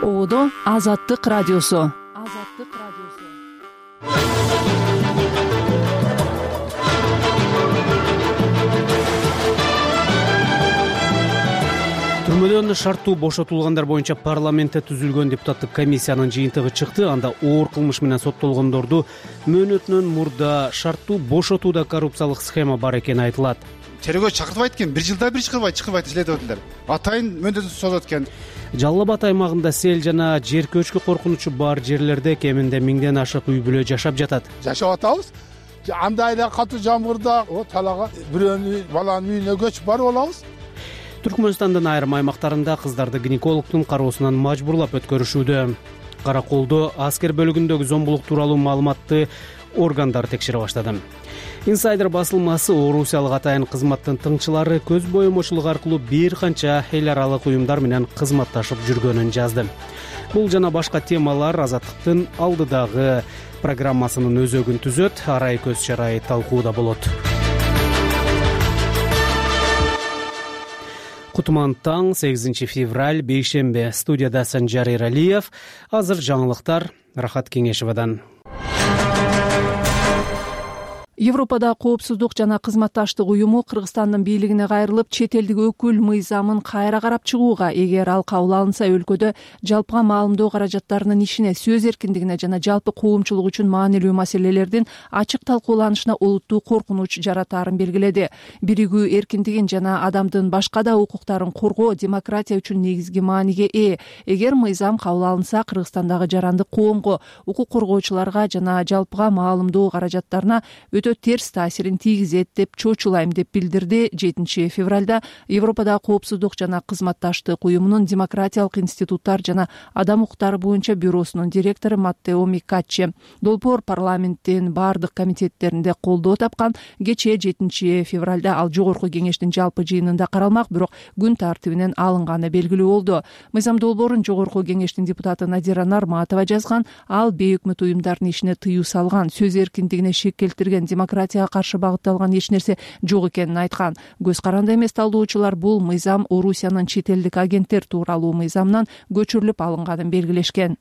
Оодо Азаттык радиосу. Түрмөдөн шарттуу бошотулгандар боюнча парламентте түзүлгөн депутаттык комиссиянын жыйынтыгы чыкты. Анда оор кылмыш менен соттолгондорду мөөнөтүнөн мурда шарттуу бошотууда коррупциялык схема бар экени айтылат. Терөөгө чакыртбайт экен, 1 жылда бир чакырбайт следовательдер. Атайын мөөнөтүн созот экен. Жалал Абад аймагында сел жана жер көчкү коркунучу бар жерлерде кеминде 1000ден ашык үй бүлө жашап жатат. Жашап атабыз. Андай эле катуу жамгырда талага бирөөнүн баланын үйүнө көчүп барып алабыз. Түркмөнстандын айрым аймактарында кыздарды гинекологдун кароосунан мажбурлап өткөрүшүүдө. Караколдо аскер бөлүгүндөгү зомбулук тууралуу маалыматты органдар текшере баштады. Инсайдер басылмасы орусиялык атайын кызматтын тыңчылары көз боемочулук аркылуу бир канча эл аралык уюмдар менен кызматташып жүргөнүн жазды. Бул жана башка темалар Азаттыктын алдыдагы программасынын өзөгүн түзөт. Арай көз чарай талкууда болот. Кутман таң, 8 февраль, бейшембе. Студияда Санжар Эралиев. Азыр жаңылыктар Рахат Кеңешевадан. Европада коопсуздук жана кызматташтык уюму Кыргызстандын бийлигине кайрылып, чет элдик өкүл мыйзамын кайра карап чыгууга, эгер ал кабыл алынса өлкөдө жалпыга маалымдоо каражаттарынын ишине, сөз эркиндигине жана жалпы коомчулук үчүн маанилүү маселелердин ачык талкууланышына олуттуу коркунуч жаратаарын белгиледи. Биригүү эркиндигин жана адамдын башка да укуктарын коргоо демократия үчүн негизги мааниге ээ. Эгер мыйзам кабыл алынса, Кыргызстандагы жарандык коомго, укук коргоочуларга жана жалпыга маалымдоо каражаттарына өтө терс таасирин тийгизет деп чочулайм деп билдирди 7 февралда Европада коопсуздук жана кызматташтык уюмунун демократиялык институттар жана адам укуктары боюнча бюросунун директору Маттео Микаччи. Долбоор парламенттин бардык комитеттеринде колдоо тапкан. Кечээ 7 февралда ал жогорку кеңештин жалпы жыйынында каралмак, бирок күн тартибинен алынганы белгилүү болду. Мыйзам долбоорун жогорку кеңештин депутаты Надира Нарматова жазган. Ал бейөкмөт уюмдардын ишине тыюу салган, сөз эркиндигине шек келтирген, демократияга каршы багытталган эч нерсе жок экенин айткан. Көз каранды эмес талдоочулар бул мыйзам Орусиянын чет элдик агенттер тууралуу мыйзамынан көчүрүлүп алынганын белгилешкен.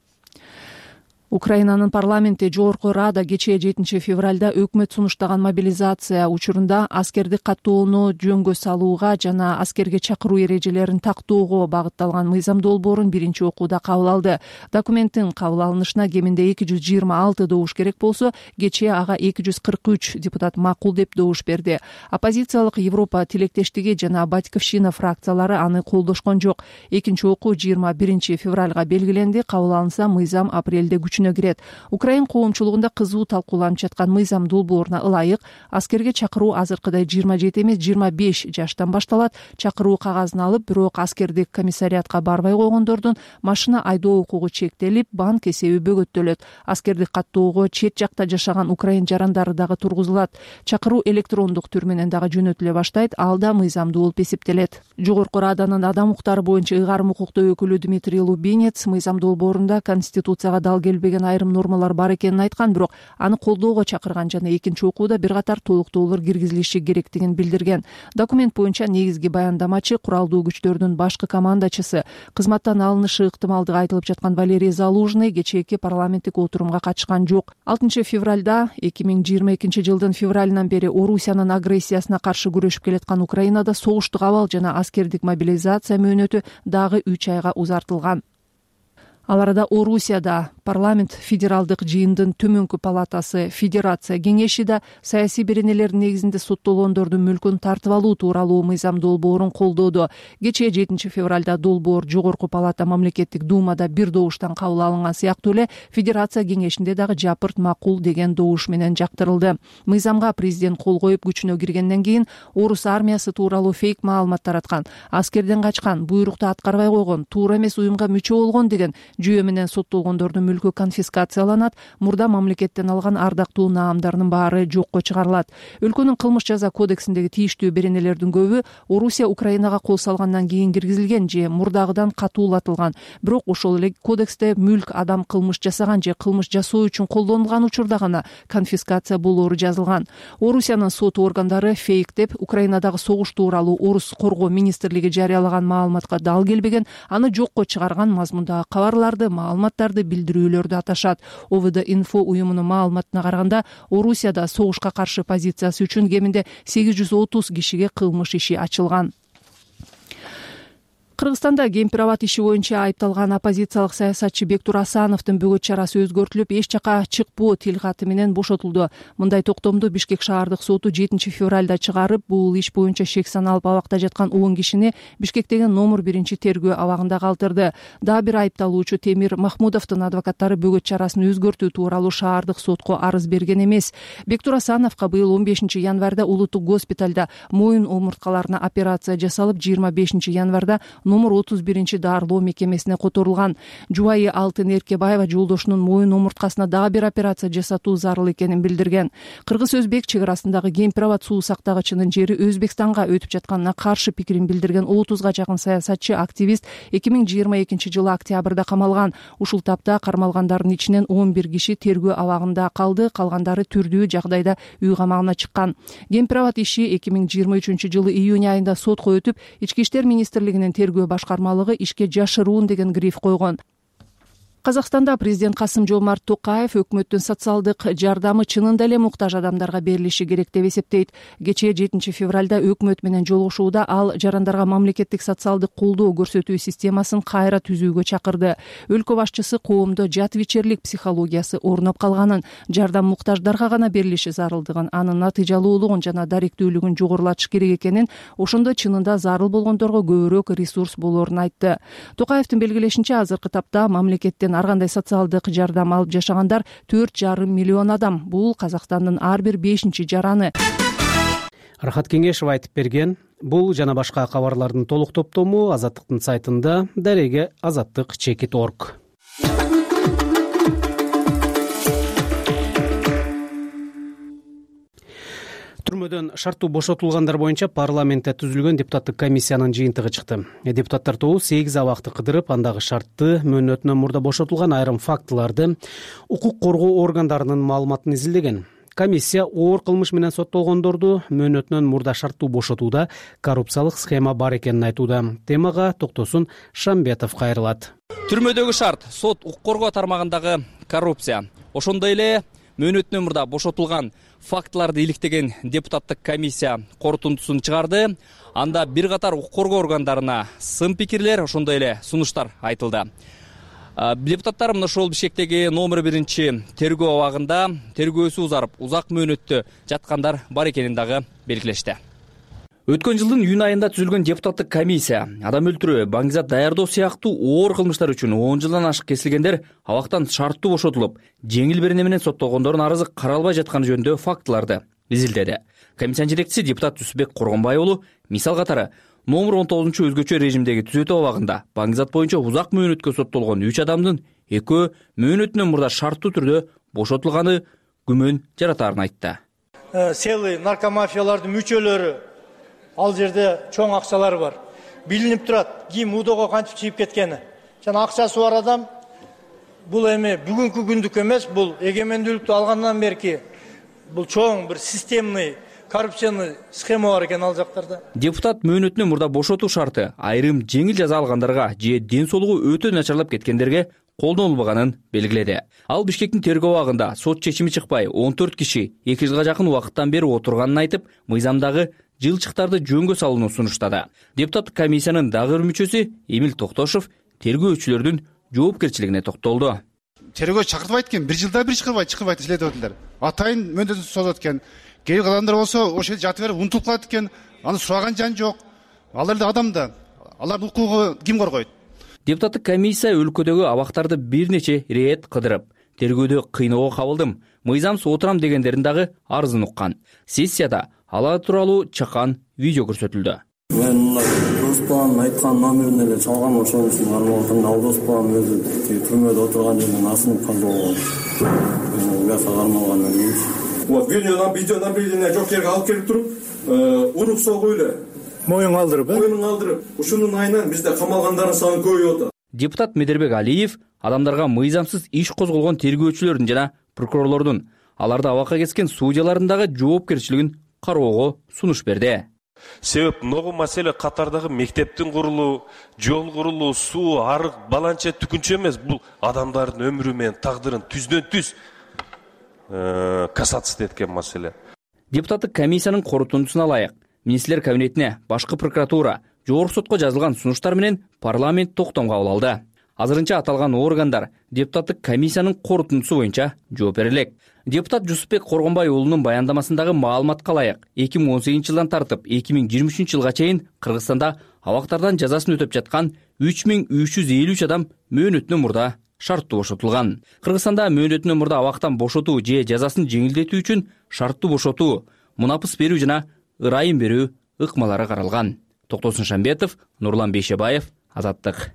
Украинанын парламенти жогорку рада кечээ 7 февралда өкмөт сунуштаган мобилизация учурунда аскердик каттоону жөнгө салууга жана аскерге чакыруу эрежелерин тактоого багытталган мыйзам долбоорун биринчи окууда кабыл алды. Документтин кабыл алынышына кеминде 226 добуш керек болсо, кечээ ага 243 депутат макул деп добуш берди. Оппозициялык Европа тилектештиги жана Батьковщина фракциялары аны колдошкон жок. Экинчи окуу 21 февралга белгиленди. Кабыл алынса, мыйзам апрелде күчүнө кирет. Украин коомчулугунда кызуу талкууланып жаткан мыйзам долбооруна ылайык аскерге чакыруу азыркыдай 27 эмес 25 жаштан башталат. Чакыруу кагазын алып, бирок аскердик комиссариатка барбай койгондордун машина айдоо укугу чектелип, банк эсеби бөгөттөлөт. Аскердик каттоого чет жакта жашаган украин жарандары дагы тургузулат. Чакыруу электрондук түр менен дагы жөнөтүлө баштайт. Ал да мыйзамдуу болуп эсептелет. Жогорку раданын адам укуктары боюнча ыйгарым укуктуу өкүлү Дмитрий Лубинец мыйзам долбоорунда конституцияга дал келбеген айрым нормалар бар экенин айткан, бирок аны колдоого чакырган жана экинчи окууда бир катар толуктоолор киргизилиши керектигин билдирген. Документ боюнча негизги баяндамачы куралдуу күчтөрдүн башкы командачысы, кызматтан алынышы ыктымалдыгы айтылып жаткан Валерий Залужный кечээки парламенттик отурумга катышкан жок. 6 февралда 2022 жылдын февралынан бери Орусиянын агрессиясына каршы күрөшүп келаткан Украинада согуштук абал жана аскердик мобилизация мөөнөтү дагы 3 айга узартылган. Ал арада Орусияда парламент федералдык жыйындын төмөнкү палатасы Федерация кеңеши да саясий беренелер негизинде соттолгондордун мүлкүн тартып алуу тууралуу мыйзам долбоорун колдоду. Кечээ 7 февралда долбоор жогорку палата мамлекеттик думада бир добуштан кабыл алынган сыяктуу эле Федерация кеңешинде дагы жапырт макул деген добуш менен жактырылды. Мыйзамга президент кол коюп күчүнө киргенден кийин орус армиясы тууралуу фейк маалымат тараткан, аскерден качкан, буйрукту аткарбай койгон, туура эмес уюмга мүчө болгон деген жүйө менен соттолгондордун мүлкү конфискацияланат, мурда мамлекеттен алган ардактуу наамдарынын баары жокко чыгарылат. Өлкөнүн кылмыш жаза кодексиндеги тийиштүү беренелердин көбү Орусия Украинага кол салгандан кийин киргизилген же мурдагыдан катуулатылган. Бирок ошол эле кодексте мүлк адам кылмыш жасаган же кылмыш жасоо үчүн колдонулган учурда гана конфискация болоору жазылган. Орусиянын сот органдары фейк деп Украинадагы согуш тууралуу Орус коргоо министрлиги жарыялаган маалыматка дал келбеген, аны жокко чыгарган мазмундагы кабарларды, маалыматтарды, билдирүүлөрдү аташат. ОВД-инфо уюмунун маалыматына караганда, Орусияда согушка каршы позициясы үчүн кеминде 830 кишиге кылмыш иши ачылган. Кыргызстанда кемпир абад иши боюнча айыпталган оппозициялык саясатчы Бектур Асановдун бөгөт чарасы өзгөртүлүп, эч жака чыкпоо тил каты менен бошотулду. Мындай токтомду Бишкек шаардык соту 7 февралда чыгарып, бул иш боюнча шек саналып абакта жаткан 10 кишини Бишкектеги номер 1 тергөө абагында калтырды. Дагы бир айыпталуучу Темир Махмудовдун адвокаттары бөгөт чарасын өзгөртүү тууралуу шаардык сотко арыз берген эмес. Бектур Асановго быйыл 15 январда улуттук госпиталда моюн омурткаларына операция жасалып, 25 январда номер 31 дарылоо мекемесине которулган. Жубайы Алтын Эркебаева жолдошунун моюн омурткасына дагы бир операция жасатуу зарыл экенин билдирген. Кыргыз-өзбек чек арасындагы кемпир абад суу сактагычынын жери Өзбекстанга өтүп жатканына каршы пикирин билдирген 30га жакын саясатчы, активист 2022 жылы октябрда камалган. Ушул тапта кармалгандардын ичинен 11 киши тергөө абагында калды, калгандары түрдүү жагдайда үй камагына чыккан. Кемпир абад иши 2023 жылы июнь айында сотко өтүп, Ички иштер министрлигинин тергөө башкармалыгы ишке жашыруун деген гриф койгон. Казакстанда президент Касым-Жомарт Токаев өкмөттүн социалдык жардамы чынында эле муктаж адамдарга берилиши керек деп эсептейт. Кечээ 7 февралда өкмөт менен жолугушууда ал жарандарга мамлекеттик социалдык колдоо көрсөтүү системасын кайра түзүүгө чакырды. Өлкө башчысы коомдо жат вичерлик психологиясы орноп калганын, жардам муктаждарга гана берилиши зарылдыгын, анын натыйжалуулугун жана даректүүлүгүн жогорулатыш керек экенин, ошондо чынында зарыл болгондорго көбүрөөк ресурс болоорун айтты. Токаевдин белгилешинче, азыркы тапта мамлекеттен ар кандай социалдык жардам алып жашагандар 4,5 миллион адам. Бул Казакстандын ар бир 5-чи жараны. Рахат Кеңешев айтып берген. Бул жана башка кабарлардын толук топтому Азаттыктын сайтында, дареге azattik.org. Түрмөдөн шарттуу бошотулгандар боюнча парламентте түзүлгөн депутаттык комиссиянын жыйынтыгы чыкты. Депутаттар тобу 8 абакты кыдырып, андагы шартты мөөнөтүнөн мурда бошотулган айрым фактыларды укук коргоо органдарынын маалыматын изилдеген. Комиссия оор кылмыш менен соттолгондорду мөөнөтүнөн мурда шарттуу бошотууда коррупциялык схема бар экенин айтууда. Темага токтосун Шамбетов кайрылат. Түрмөдөгү шарт сот укук коргоо тармагындагы коррупция. Ошондой эле мөөнөтүнөн мурда бошотулган фактыларды иликтеген депутаттык комиссия корутундусун чыгарды. Анда бир катар укук коргоо органдарына сын пикирлер, ошондой эле сунуштар айтылды. Депутаттар мына ошол Бишкектеги номер 1 тергөө абагында тергөөсү узарып, узак мөөнөттө жаткандар бар экенин дагы белгилешти. Өткөн жылдын июнь айында түзүлгөн депутаттык комиссия адам өлтүрүү, баңгизат даярдоо сыяктуу оор кылмыштар үчүн 10 жылдан ашык кесилгендер абактан шарттуу бошотулуп, жеңил берене менен соттолгондордун арызы каралбай жатканы жөнүндө фактыларды изилдеди. Комиссиянын жетекчиси депутат Түсүбек Коргонбай уулу мисал катары номер 19 өзгөчө режимдеги түзөтүү абагында баңгизат боюнча узак мөөнөткө соттолгон 3 адамдын экөө мөөнөтүнөн мурда шарттуу түрдө бошотулганы күмөн жаратаарын айтты. Селый наркомафиялардын мүчөлөрү ал жерде чоң акчалар бар. Билинип турат, ким удого кантип чыйып кеткени. Жана акчасы бар адам бул эми бүгүнкү күндүк эмес, бул эгемендүүлүктү алгандан берки бул чоң бир системный коррупцияны схема бар экен ал жактарда. Депутат мөөнөтүнөн мурда бошотуу шарты айрым жеңил жаза алгандарга же ден соолугу өтө начарлап кеткендерге колдонулбаганын белгиледи. Ал Бишкектин тергөө абагында сот чечими чыкпай 14 киши 2 жылга жакын убакыттан бери отурганын айтып, мыйзамдагы жылчыктарды жөнгө салууну сунуштады. Депутаттык комиссиянын дагы бир мүчөсү Эмил Токтошов тергөөчүлөрдүн жоопкерчилигине токтолду. Тергөө чакыртпайт экен, 1 жылда бир чыкырбайт следователдер. Атайын мөөнөтүн созот экен. Кээ адамдар болсо ошол жерде жатып берип унутуп калат экен. Аны сураган жан жок. Алар да адам да. Алардын укугу ким коргойт? Депутаттык комиссия өлкөдөгү абактарды бир нече ирет кыдырып, тергөөдө кыйноого кабылдым, мыйзамсыз отурам дегендердин дагы арызын уккан. Сессияда алар тууралуу чакан видео көрсөтүлдү. Доспан айткан номерин эле чалган, ошон үчүн кармалып атам. Ал Доспан өзү түрмөдө отурган жерден асынып калды. Уяка кармалгандан кийин. Вот видеонаблюдение жок жерге алып келип туруп, уруп согуу эле. Моюн калтырып, Моюн калтырып. Ушунун айынан бизде камалгандардын саны көбөйүп атат. Депутат Медербек Алиев адамдарга мыйзамсыз иш козголгон тергөөчүлөрдүн жана прокурорлордун аларды абакка кескен судьялардын жоопкерчилигин кароого сунуш берди. Себеп многу маселе катардагы мектептин курулуу, жол курулуу, суу, арык, баланча түкүнчө эмес. Бул адамдардын өмүрү менен тагдырын түздөн түз касаться эткен маселе. Депутаттык комиссиянын корутундусуна ылайык министрлер кабинетине башкы прокуратура, жогорку сотко жазылган сунуштар менен парламент токтом кабыл алды. Азырынча аталган органдар депутаттык комиссиянын корутундусу боюнча жооп бере элек. Депутат Жусупбек Коргонбай уулунун баяндамасындагы маалыматка ылайык 2018 жылдан тартып 2023 жылга чейин Кыргызстанда абактардан жазасын өтөп жаткан 3353 адам мөөнөтүнөн мурда шарттуу бошотулган. Кыргызстанда мөөнөтүнөн мурда абактан бошотуу же жазасын жеңилдетүү үчүн шарттуу бошотуу, мунапыс берүү жана ырайым берүү ыкмалары каралган. Токтосун Шамбетов, Нурлан Бейшебаев, Азаттык.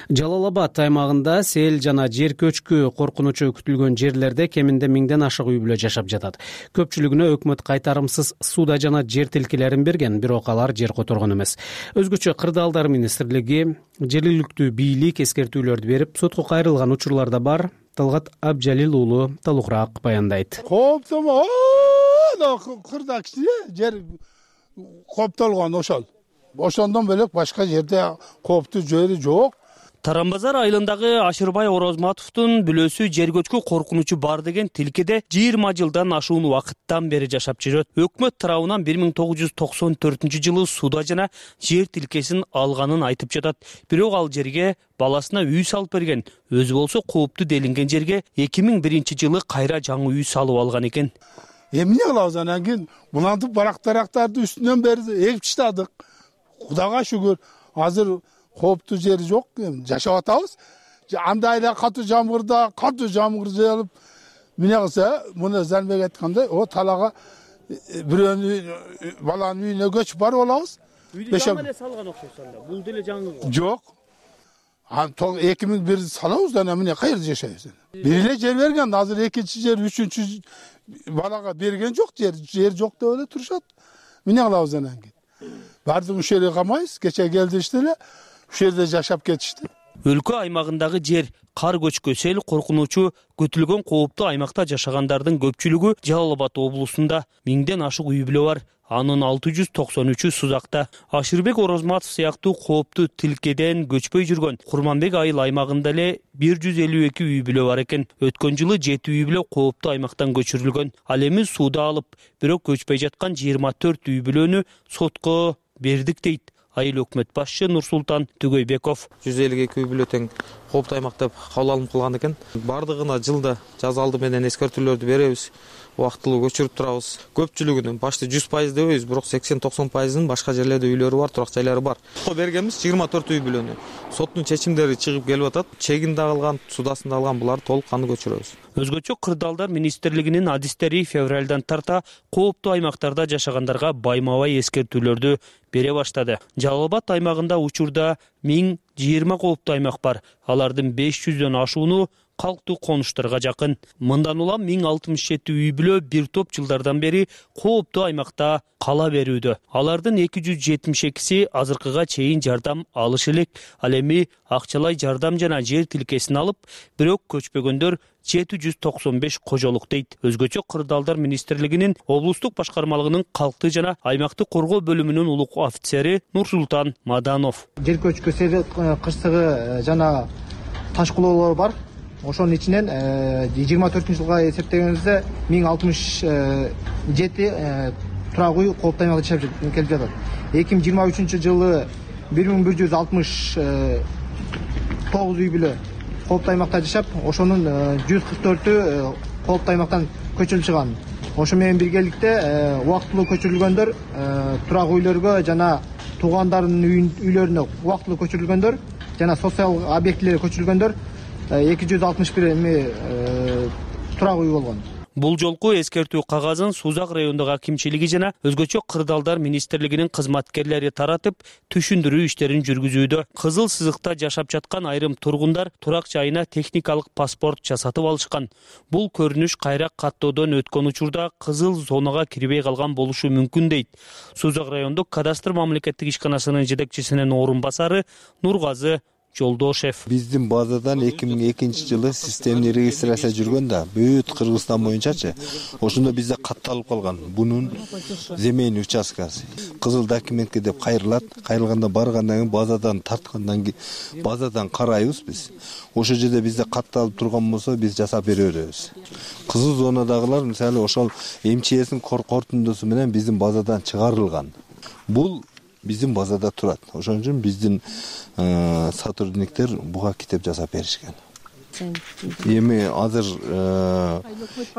Жалал Абад аймагында сел жана жер көчкү коркунучу күтүлгөн жерлерде кеминде 1000ден ашык үй бүлө жашап жатат. Көпчүлүгүнө өкмөт кайтарымсыз суда жана жер тилкелерин берген, бирок алар жер которгон эмес. Өзгөчө Кырдаалдар министрлиги жергиликтүү бийлик эскертүүлөрдү берип, сотко кайрылган учурларда бар. Талгат Абжалил уулу толугураак баяндайт. Кооптомо, кырда кичине жер кооптолгон ошол. Ошондон бөлөк башка жерде кооптуу жери жок. Тарамбазар айылындагы Ашырбай Орозматовдун бүлөсү жер көчкү коркунучу бар деген тилкеде 20 жылдан ашуун убакыттан бери жашап жүрөт. Өкмөт тарабынан 1994-жылы суда жана жер тилкесин алганын айтып жатат. Бирок ал жерге баласына үй салып берген. Өзү болсо кооптуу делинген жерге 2001-жылы кайра жаңы үй салып алган экен. Эмне кылабыз анан кийин булантып барактарды үстүнөн бери эгип таштадык. Кудайга шүгүр, азыр кооптуу жери жок, жашап атабыз. Андай эле катуу жамгыр жаалып, эмне кылса, муну Занбек айткандай, талага бирөөнүн баланын үйүнө көчүп барып алабыз. Үйдү жаңы эле салган окшойт анда. Бул деле жаңы. Жок. 2001 салабыз, анан эмне кайерде жашайбыз? Бир эле жер берген, азыр экинчи жер, үчүнчү балага берген жок, жер жок деп эле турушат. Эмне кылабыз анан кийин? Бардык ушерге камайбыз, кече келдишти эле. Ушерде жашап кетишти. Өлкө аймагындагы жер кар көчкү сел коркунучу көтүлгөн кооптуу аймакта жашагандардын көпчүлүгү Жалал Абад облусунда. 1000ден ашык үй бүлө бар. Анын 693-ü Сузакта. Ашырбек Орозматов сыяктуу кооптуу тилкеден көчпөй жүргөн Курманбек айыл аймагында эле 152 үй бүлө бар экен. Өткөн жылы 7 үй бүлө кооптуу аймактан көчүрүлгөн. Ал эми суда алып, бирок көчпөй жаткан 24 үй бүлөнү сотко бердик дейт айыл өкмөт башчы Нурсултан Түгөйбеков. 152 үй бүлө тең кооптуу аймак деп кабыл алынып калган экен. Бардыгына жылда жаза алды менен эскертүүлөрдү беребиз. Убактылуу көчүрүп турабыз. Көпчүлүгүнүн башты 100% дебейбиз, бирок 80-90%-ын башка жерлерде үйлөрү бар, турак жайлары бар. Бергенбиз 24 үй бүлөнү. Соттун чечимдери чыгып келип атат. Чегин да алган, судасын да алган, буларды толук кандуу көчүрөбүз. Өзгөчө Кырдаалдар министрлигинин адистери февралдан тарта кооптуу аймактарда жашагандарга байма-бай эскертүүлөрдү бере баштады. Жалал Абад аймагында учурда 1020 кооптуу аймак бар. Алардын 500дөн ашууну калктуу конуштарга жакын. Мындан улам 1067 үй бүлө бир топ жылдардан бери кооптуу аймакта кала берүүдө. Алардын 272си азыркыга чейин жардам алышы элек. Ал эми акчалай жардам жана жер тилкесин алып, бирок көчпөгөндөр 795 кожолук дейт. Өзгөчө Кырдаалдар министрлигинин облустук башкармалыгынын калкты жана аймактык коргоо бөлүмүнүн улук офицери Нурсултан Маданов. Жер көчкү кырсыгы жана таш кулоолор бар. Ошонун ичинен 24-жылга эсептегенибизде 1067 турак үй кооптуу аймакта жашап келип жатат. 2023-жылы 1169 үй бүлө кооптуу аймакта жашап, ошонун 144-ü кооптуу аймактан көчүрүлүп чыган. Ошо менен биргеликте убактылуу көчүрүлгөндөр, турак үйлөргө жана туугандарынын үйлөрүнө убактылуу көчүрүлгөндөр жана социалдык объектилерге көчүрүлгөндөр 261 турак үй болгон. Бул жолку эскертүү кагазын Сузак райондук акимчилиги жана өзгөчө кырдаалдар министрлигинин кызматкерлери таратып, түшүндүрүү иштерин жүргүзүүдө. Кызыл сызыкта жашап жаткан айрым тургундар турак жайына техникалык паспорт жасатып алышкан. Бул көрүнүш кайра каттоодон өткөн учурда кызыл зонага кирбей калган болушу мүмкүн дейт. Сузак райондук кадастр мамлекеттик ишканасынын жетекчисинин орун басары Нургазы Жолдошев. Биздин базадан 2002-жылы системный регистрация жүргөн да, бүт Кыргызстан боюнчачы. Ошондо бизде катталып калган бунун земельный участкасы. Кызыл документке деп кайрылат. Кайрылганда баргандан кийин базадан тарткандан кийин базадан карайбыз биз. Ошол жерде бизде катталып турган болсо биз жасап бере беребиз. Кызыл зонадагылар мисалы ошол МЧСтин корутундусу менен биздин базадан чыгарылган. Бул биздин базада турат. Ошон үчүн биздин сотрудниктер буга китеп жасап беришкен. Эми азыр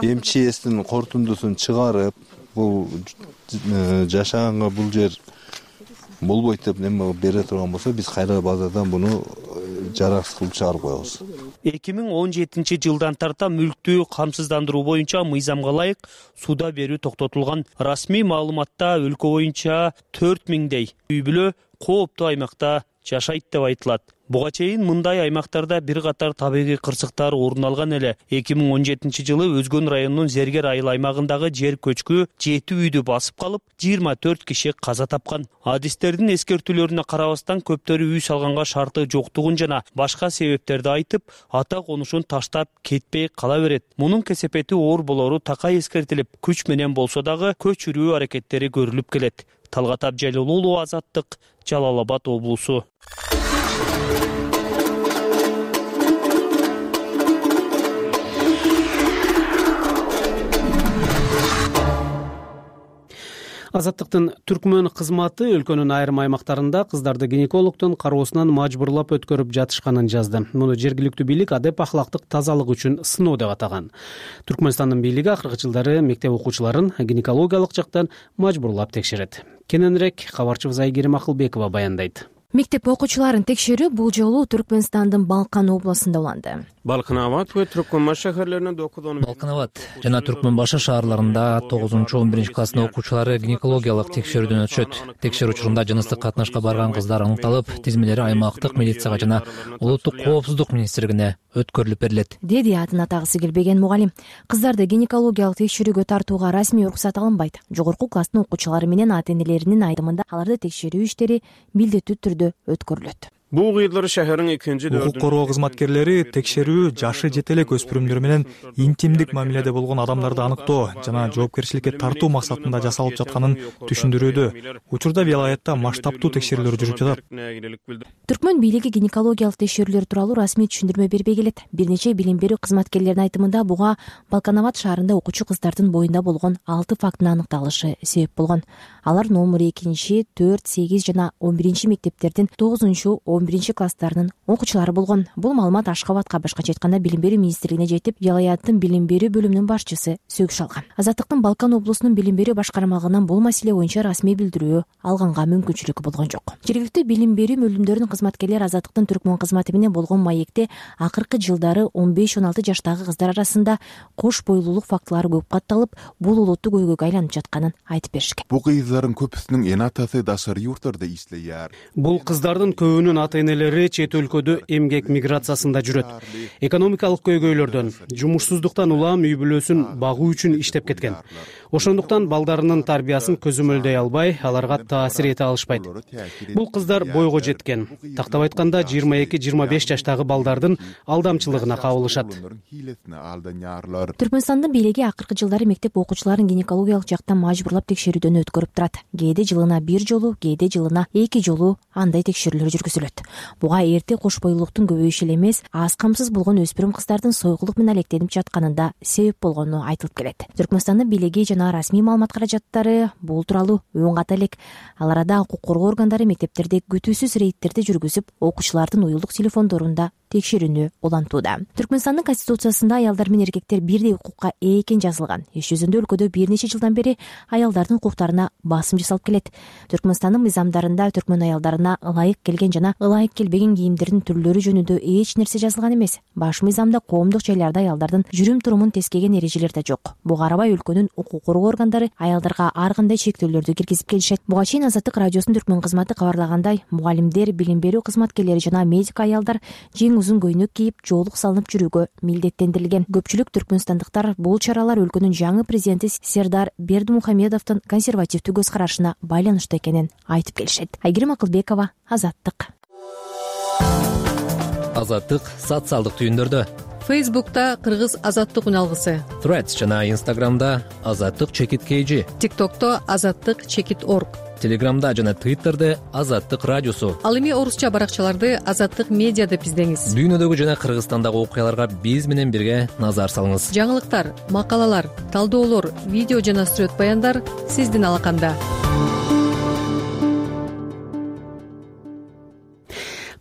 МЧСтин корутундусун чыгарып, бул жашаганга бул жер болбойт деп неме бере турган болсо, биз кайра базадан буну жараксыз кылып чыгарып коебуз. 2017-жылдан тарта мүлктү камсыздандыруу боюнча мыйзамга ылайык суда берүү токтотулган. Расмий маалыматта өлкө боюнча 4000дей үй бүлө кооптуу аймакта жашайт деп айтылат. Буга чейин мындай аймактарда бир катар табигый кырсыктар орун алган эле. 2017-жылы Өзгөн районунун Зергер айыл аймагындагы жер көчкү 7 үйдү басып калып, 24 киши каза тапкан. Адистердин эскертүүлөрүнө карабастан көптөрү үй салганга шарты жоктугун жана башка себептерди айтып, ата конушун таштап кетпей кала берет. Мунун кесепети оор болору такай эскертилип, күч менен болсо дагы көчүрүү аракеттери көрүлүп келет. Талгат Абжалил уулу, Азаттык, Жалал Абад облусу. Азаттыктын түркмөн кызматы өлкөнүн айрым аймактарында кыздарды гинекологдун кароосунан мажбурлап өткөрүп жатышканын жазды. Муну жергиликтүү бийлик адеп ахлактык тазалык үчүн сыноо деп атаган. Түркмөнстандын бийлиги акыркы жылдары мектеп окуучуларын гинекологиялык жактан мажбурлап текшерет. Кененирээк кабарчыбыз Айгерим Акылбекова баяндайт. Мектеп окуучуларын текшерүү бул жолу Түркмөнстандын Балкан областында уланды. Балканабад ва Түркмөнбаш шаһарларында 9-10 Балканабад жана Түркмөнбаш шаарларында 9-11 класстын окуучулары гинекологиялык текшерүүдөн өтүшөт. Текшерүү учурунда жыныстык катнашка барган кыздар аныкталып, тизмелери аймактык милицияга жана улуттук коопсуздук министрлигине өткөрүлүп берилет, деди атын атагысы келбеген мугалим. Кыздарды гинекологиялык текшерүүгө тартууга расмий уруксат алынбайт. Жогорку класстын окуучулары менен ата-энелеринин айтымында аларды текшерүү иштери милдеттүү түрдө өткөрүлөт. Бул кыйдылар шаһарның 2-4 укук короо кызматкерлери текшерүү жашы жете элек өспүрүмдөр менен интимдик мамиледе болгон адамдарды аныктоо жана жоопкерчиликке тартуу максатында жасалып жатканын түшүндүрүүдө. Учурда вилаятта масштабтуу текшерүүлөр жүрүп жатат. Түркмөн бийлиги гинекологиялык текшерүүлөр тууралуу расмий түшүндүрмө бербей келет. Бир нече билим берүү кызматкерлеринин айтымында буга Балканабад шаарында окуучу кыздардын боюнда болгон 6 фактынын аныкталышы себеп болгон. Алар номер 2, 4, 8 жана 11 мектептердин 9-11 класстарынын окуучулары болгон. Бул маалымат Ашхабадка, башкача айтканда билим берүү министрлигине жетип, вилаяттын билим берүү бөлүмүнүн башчысы сөгүш алган. Азаттыктын Балкан облусунун билим берүү башкармалыгынан бул маселе боюнча расмий билдирүү алганга мүмкүнчүлүк болгон жок. Жергиликтүү билим берүү бөлүмдөрүнүн кызматкерлери Азаттыктын Түркмөн кызматы менен болгон маекте акыркы жылдары 15-16 жаштагы кыздар арасында кош бойлуулук фактылары көп катталып, бул улуттук көйгөйгө айланып жатканын айтып беришкен. Бул кыздардын көпүсүнүн эн атасы дашар юрттарда иштейт. Бул кыздардын көбүнүн ата-энелери чет өлкөдө эмгек миграциясында жүрөт. Экономикалык көйгөйлөрдөн, жумушсуздуктан улам үй бүлөсүн багуу үчүн иштеп кеткен. Ошондуктан балдарынын тарбиясын көзөмөлдөй албай, аларга таасир эте алышпайт. Бул кыздар бойго жеткен. Тактап айтканда 22-25 жаштагы балдардын алдамчылыгына кабылышат. Түркмөнстандын бийлиги акыркы жылдары мектеп окуучуларын гинекологиялык жактан мажбурлап текшерүүдөн өткөрүп турат. Кээде жылына 1 жолу, кээде жылына 2 жолу андай текшерүүлөр жүргүзүлөт. Буга эрте кош бойлуулуктун көбөйүшү эле эмес, аз камсыз болгон өспүрүм кыздардын сойгулук менен алектенип жатканында себеп болгону айтылып келет. Түркмөнстандын бийлиги жана расмий маалымат каражаттары бул тууралуу өн ката элек. Ал арада укук коргоо органдары мектептерде күтүүсүз рейдтерди жүргүзүп, окуучулардын уюлдук телефондорунда текшерүүнү улантууда. Түркмөнстандын конституциясында аялдар менен эркектер бирдей укукка ээ экени жазылган. Иш жүзүндө өлкөдө бир нече жылдан бери аялдардын укуктарына басым жасалып келет. Түркмөнстандын мыйзамдарында түркмөн аялдарына ылайык келген жана ылайык келбеген кийимдердин түрлөрү жөнүндө эч нерсе жазылган эмес. Баш мыйзамда коомдук жайларда аялдардын жүрүм турумун тескеген эрежелер да жок. Буга карабай өлкөнүн укук коргоо органдары аялдарга ар кандай чектөөлөрдү киргизип келишет. Буга чейин Азаттык радиосунун түркмөн кызматы кабарлагандай, мугалимдер, билим берүү кызматкерлери жана медик аялдар жең узун көйнөк кийип, жоолук салынып жүрүүгө милдеттендирилген. Көпчүлүк түркмөнстандыктар бул чаралар өлкөнүн жаңы президенти Сердар Бердимухамедовдун консервативдүү көз карашына байланыштуу экенин айтып келишет. Айгерим Акылбекова, Азаттык. Азаттык социалдык түйүндөрдө. Фейсбукта Кыргыз Азаттык үналгысы, Threads жана Instagramда Азаттык_KG, ТикТокто Азаттык_org, Телеграмда жана Twitterде Азаттык радиосу. Ал эми орусча баракчаларды Азаттык медиа деп издеңиз. Дүйнөдөгү жана Кыргызстандагы окуяларга биз менен бирге назар салыңыз. Жаңылыктар, макалалар, талдоолор, видео жана сүрөт баяндар сиздин алаканда.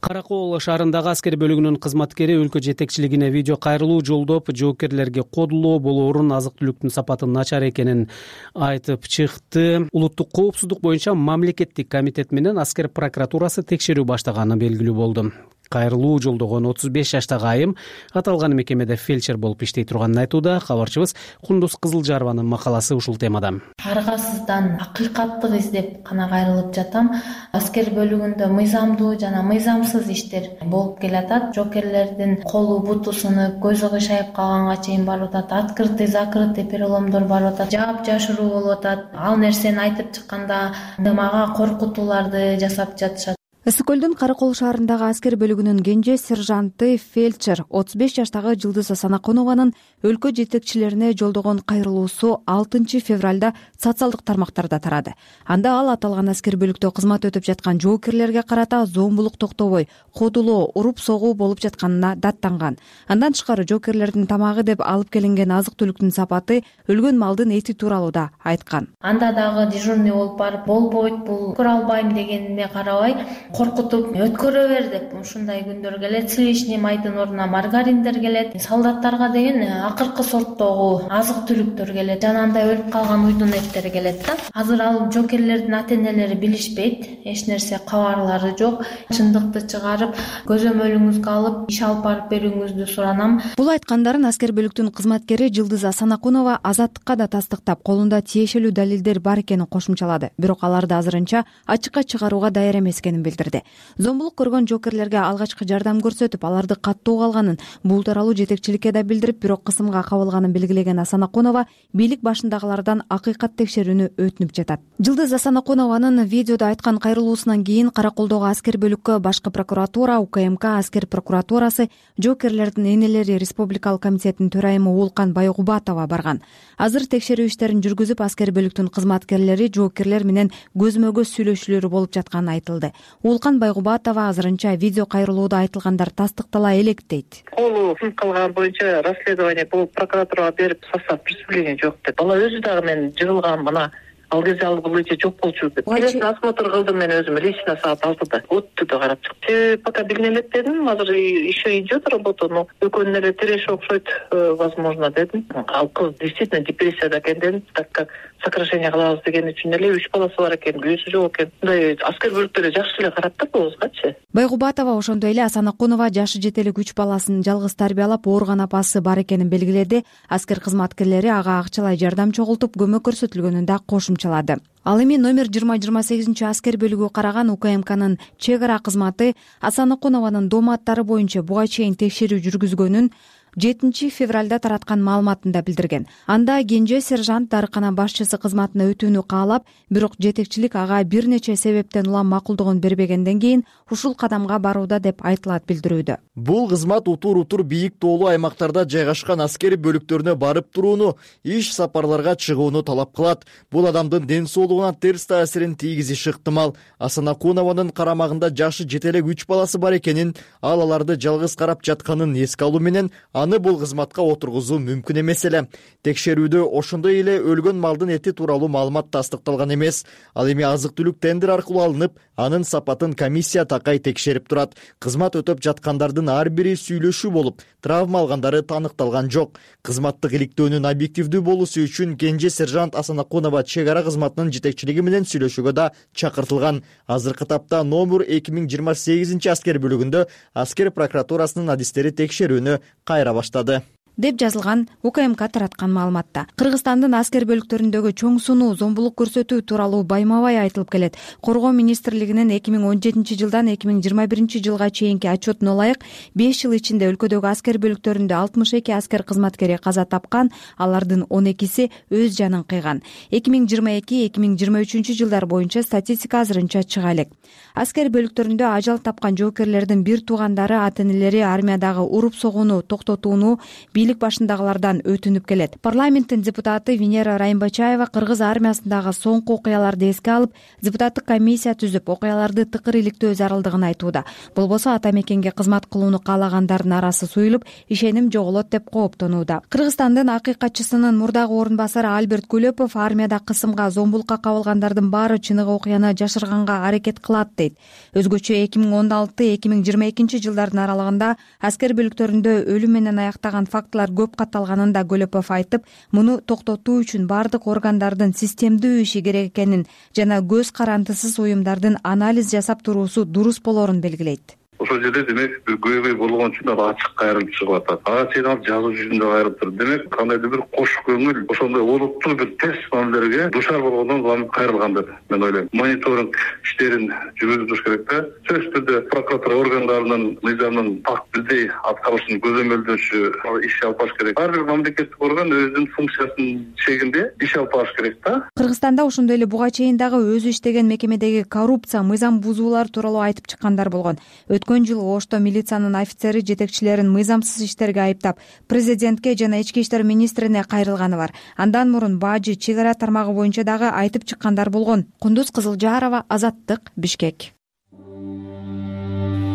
Каракол шаарындагы аскер бөлүгүнүн кызматкери өлкө жетекчилигине видео кайрылуу жолдоп, жоокерлерге кодулоо болоорун, азык-түлүктүн сапаты начар экенин айтып чыкты. Улуттук коопсуздук боюнча мамлекеттик комитет менен аскер прокуратурасы текшерүү баштаганы белгилүү болду. Кайрылуу жолдогон 35 жаштагы айым аталган мекемеде фельдшер болуп иштей турганын айтууда. Кабарчыбыз Кундуз Кызылжарованын макаласы ушул темада. Аргасыздан акыйкаттык издеп гана кайрылып жатам. Аскер бөлүгүндө мыйзамдуу жана мыйзамсыз иштер болуп келатат. Жоокерлердин колу буту сынып, көзү кыйшайып калганга чейин барып атат. Открытый, закрытый переломдор барып атат. Жаап жашыруу болуп атат. Ал нерсени айтып чыкканда мага коркутууларды жасап жатышат. Ысык көлдүн Каракол шаарындагы аскер бөлүгүнүн кенже сержанты фельдшер 35 жаштагы Жылдыз Асанаконованын өлкө жетекчилерине жолдогон кайрылуусу 6 февралда социалдык тармактарда тарады. Анда ал аталган аскер бөлүктө кызмат өтүп жаткан жоокерлерге карата зомбулук токтобой, кодулоо, уруп согуу болуп жатканына даттанган. Андан тышкары жоокерлердин тамагы деп алып келинген азык-түлүктүн сапаты, өлгөн малдын эти тууралуу да айткан. Анда дагы дежурный болуп барып, болбойт бул, көрө албайм дегениме карабай коркутуп өткөрө бер деп ушундай күндөр келет. Сливичный майдын ордуна маргариндер келет. Солдаттарга деген акыркы сорттогу азык-түлүктөр келет. Жана андай өлүп калган уйдун эттери келет да. Азыр ал жоокерлердин ата-энелери билишпейт. Эч нерсе кабарлары жок. Чындыкты чыгарып, көзөмөлүңүзгө алып, иш алып барып берүүңүздү суранам. Бул айткандарын аскер бөлүктүн кызматкери Жылдыз Асанаконова Азаттыкка да тастыктап, колунда тиешелүү далилдер бар экенин кошумчалады. Бирок аларды азырынча ачыкка чыгарууга даяр эмес экенин билдирди. Зомбулук көргөн жоокерлерге алгачкы жардам көрсөтүп, аларды каттоо калганын бул тууралуу жетекчиликке да билдирип, бирок кысымга кабылганын белгилеген Асанаконова бийлик башындагылардан акыйкат текшерүүнү өтүнүп жатат. Жылдыз Асанаконованын видеодо айткан кайрылуусунан кийин Караколдогу аскер бөлүккө башкы прокуратура, УКМК аскер прокуратурасы, жоокерлердин энелери республикалык комитетинин төрайымы Уулкан Байгубатова барган. Азыр текшерүү иштерин жүргүзүп, аскер бөлүктүн кызматкерлери жоокерлер менен көзмө көз сүйлөшүүлөрү болуп жатканы айтылды. Уулкан Байгубатова азырынча видео кайрылууда айтылгандар тастыктала элек дейт. Колу сынып калган боюнча расследование болуп, прокуратурага берип, состав представление жок деп. Бала өзү дагы мен жыгылган мына ал кезде ал бул ичи жок болчу деп. Осмотр кылдым мен өзүм лично саат 6-да. Оттуда карап чыктым. Пока билине элек дедим. Азыр еще идет работа, но экөөнүн эле тиреши окшойт, возможно дедим. Ал кыз действительно депрессияда экен дедим, так как сокращение кылабыз деген үчүн эле 3 баласы бар экен, күйөөсү жок экен. Мындай аскер бөлүктөрү жакшы эле карап да кызгачы. Байгубатова ошондой эле Асанаконова жашы жете элек 3 баласын жалгыз тарбиялап, ооруган апасы бар экенин белгиледи. Аскер кызматкерлери ага акчалай жардам чогултуп, көмөк көрсөтүлгөнүн да кошумчалады. Ал эми номер 20-28 аскер бөлүгү караган УКМКнын чек ара кызматы Асанаконованын дооматтары боюнча буга чейин текшерүү жүргүзгөнүн 7 февралда тараткан маалыматында билдирген. Анда кенже сержант дарыкана башчысы кызматына өтүүнү каалап, бирок жетекчилик ага бир нече себептен улам макулдугун бербегенден кийин ушул кадамга барууда деп айтылат билдирүүдө. Бул кызмат утур бийик тоолуу аймактарда жайгашкан аскери бөлүктөрүнө барып турууну, иш сапарларга чыгууну талап кылат. Бул адамдын ден соолугуна терс таасирин тийгизиши ыктымал. Асанаконованын карамагында жашы жете элек 3 баласы бар экенин, ал аларды жалгыз карап жатканын эске алуу менен аны бул кызматка отургузуу мүмкүн эмес эле. Текшерүүдө ошондой эле өлгөн малдын эти тууралуу маалымат тастыкталган эмес. Ал эми азык-түлүк тендер аркылуу алынып, анын сапатын комиссия такай текшерип турат. Кызмат өтөп жаткандардын ар бири сүйлөшүү болуп, травма алгандары таныкталган жок. Кызматтык иликтөөнүн объективдүү болуусу үчүн кенже сержант Асанакунова чек ара кызматынын жетекчилиги менен сүйлөшүүгө да чакыртылган. Азыркы тапта номер 2028 аскер бөлүгүндө аскер прокуратурасынын адистери текшерүүнү кайра баштады, деп жазылган УКМК тараткан маалыматта. Кыргызстандын аскер бөлүктөрүндөгү чоң сунуу зомбулук көрсөтүү тууралуу байма-бай айтылып келет. Коргоо министрлигинин 2017 жылдан 2021 жылга чейинки отчетуна ылайык 5 жыл ичинде өлкөдөгү аскер бөлүктөрүндө 62 аскер кызматкери каза тапкан, алардын 12си өз жанын кыйган. 2022-2023 жылдар боюнча статистика азырынча чыга элек. Аскер бөлүктөрүндө ажал тапкан жоокерлердин бир туугандары, ата-энелери армиядагы уруп-согууну токтотууну бийлик башындагылардан өтүнүп келет. Парламенттин депутаты Венера Райымбачаева кыргыз армиясындагы соңку окуяларды эске алып, депутаттык комиссия түзүп, окуяларды тыкыр иликтөө зарылдыгын айтууда. Болбосо ата мекенге кызмат кылууну каалагандардын арасы суюлуп, ишеним жоголот деп кооптонууда. Кыргызстандын акыйкатчысынын мурдагы орун басары Альберт Кулепов армияда кысымга, зомбулукка кабылгандардын баары чыныгы окуяны жашырганга аракет кылат дейт. Өзгөчө 2016-2022 жылдардын аралыгында аскер бөлүктөрүндө өлүм менен аяктаган фактылар көп катталганын да Кулепов айтып, муну токтотуу үчүн бардык органдардын системдүү иши керек экенин жана көз карандысыз уюмдардын анализ жасап туруусу дурус болорун белгилейт. Ошол жерде демек бир көйгөй болгон үчүн ал ачык кайрылып чыгып атат. Ага чейин ал жазуу жүзүндө кайрылып турат. Демек кандайдыр бир кош көңүл ошондой олуттуу бир тест мамилелерге душар болгондон улам кайрылган деп мен ойлойм. Мониторинг иштерин жүргүзүп туруш керек да. Сөзсүз түрдө прокуратура органдарынын мыйзамдын так бирдей аткарышын көзөмөлдөшү иш алып барыш керек. Ар бир мамлекеттик орган өзүнүн функциясынын чегинде иш алып барыш керек да. Кыргызстанда ошондой эле буга чейин дагы өзү иштеген мекемедеги коррупция, мыйзам бузуулар тууралуу айтып чыккандар болгон. Өткөн жылы Ошто милициянын офицери жетекчилерин мыйзамсыз иштерге айыптап, президентке жана ички иштер министрине кайрылганы бар. Андан мурун бажы, чек ара тармагы боюнча дагы айтып чыккандар болгон. Кундуз Кызылжарова, Азаттык, Бишкек.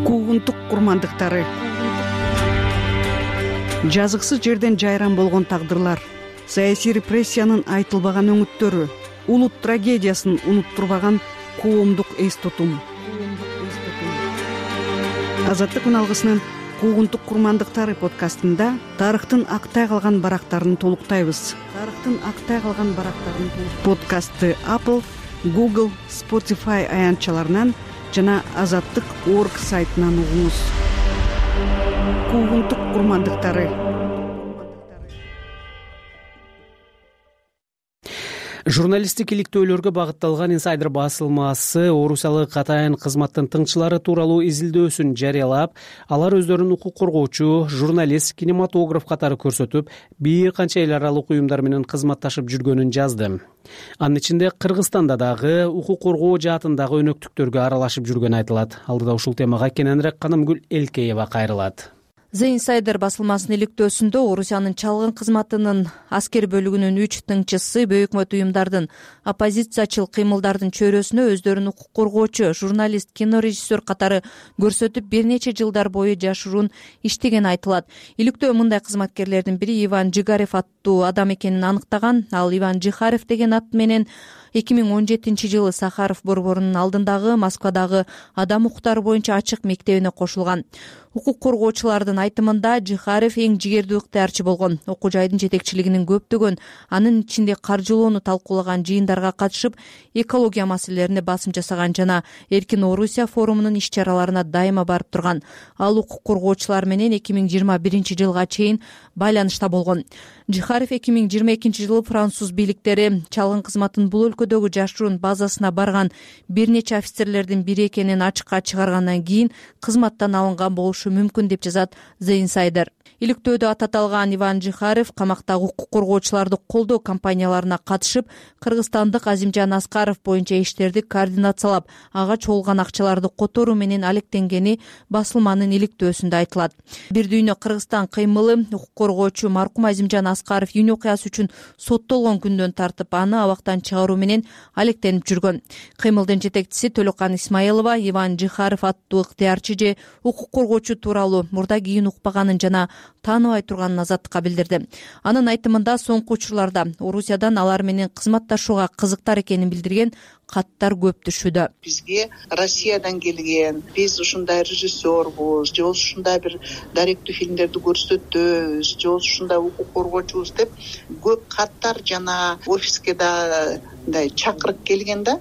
Куугунтук курмандыктары. Жазыксыз жерден жайран болгон тагдырлар, саясий репрессиянын айтылбаган өңүттөрү, улут трагедиясын унуттурбаган коомдук эс тутум. Азаттык алгысынын Куугунтук курмандыктары подкастында тарыхтын актай калган барактарын толуктайбыз. Подкастты Apple, Google, Spotify аянтчаларынан жана Азаттык.org сайтынан угуңуз. Куугунтук курмандыктары. Журналисттик иликтөөлөргө багытталган инсайдер басылмасы орусиялык катайын кызматтын тыңчылары тууралуу изилдөөсүн жарыялап, алар өздөрүн укук коргоочу, журналист, кинематограф катары көрсөтүп, бир канча эл аралык уюмдар менен кызматташып жүргөнүн жазды. Анын ичинде Кыргызстанда дагы укук коргоо жаатындагы өнөктүктөргө аралашып жүргөнү айтылат. Алдыда ушул темага кененирээк Канымгүл Элкеева кайрылат. The Insider басылмасынын иликтөөсүндө Орусиянын чалгын кызматынын аскер бөлүгүнүн 3 тыңчысы Бөйүк өкмөт уюмдардын оппозициячыл кыймылдардын чөйрөсүнө өздөрүн укук коргоочу, журналист, кинорежиссер катары көрсөтүп, бир нече жылдар бою жашыруун иштеген айтылат. Иликтөө мындай кызматкерлердин бири Иван Жигарев аттуу адам экенин аныктаган. Ал Иван Жихарев деген ат менен 2017 жылы Сахаров борборунун алдындагы Москвадагы адам укуктары боюнча ачык мектебине кошулган. Укук коргоочулардын айтымында Жихарев эң жигердүү ыктыярчы болгон. Окуу жайдын жетекчилигинин көптөгөн, анын ичинде каржылоону талкуулаган жыйындарга катышып, экология маселелерине басым жасаган жана Эркин Орусия форумунун иш-чараларына дайыма барып турган. Ал укук коргоочулар менен 2021 жылга чейин байланышта болгон. Жихарев 2022 жылы француз бийликтери чалгын кызматтын бул өлкөдөгү жашыруун базасына барган бир нече офицерлердин бири экенин ачыкка чыгаргандан кийин кызматтан алынган болушу мүмкүн деп жазат The Insider. Иликтөөдө ататалган Иван Жихарев камактагы укук коргоочуларды колдоо кампанияларына катышып, кыргызстандык Азимжан Аскаров боюнча иштерди координациялап, ага чогулган акчаларды которуу менен алектенгени басылманын иликтөөсүндө айтылат. Бир дүйнө Кыргызстан кыймылы укук коргоочу маркум Азимжан Аскаров үйнө окуясы үчүн соттолгон күндөн тартып, аны абактан чыгаруу менен менен алектенип жүргөн. Кыймылдын жетекчиси Төлөкан Исмаилова Иван Жихаров аттуу ыктыярчы же укук коргоочу тууралуу мурда кийин укпаганын жана тааныбай турганын Азаттыкка билдирди. Анын айтымында соңку учурларда Орусиядан алар менен кызматташууга кызыктар экенин билдирген каттар көп түшүүдө. Бизге Россиядан келген, биз ушундай режиссербуз, же ушундай бир даректүү фильмдерди көрсөтөбүз, же ушундай укук коргоочубуз деп көп каттар жана офиске да мындай чакырык келген да.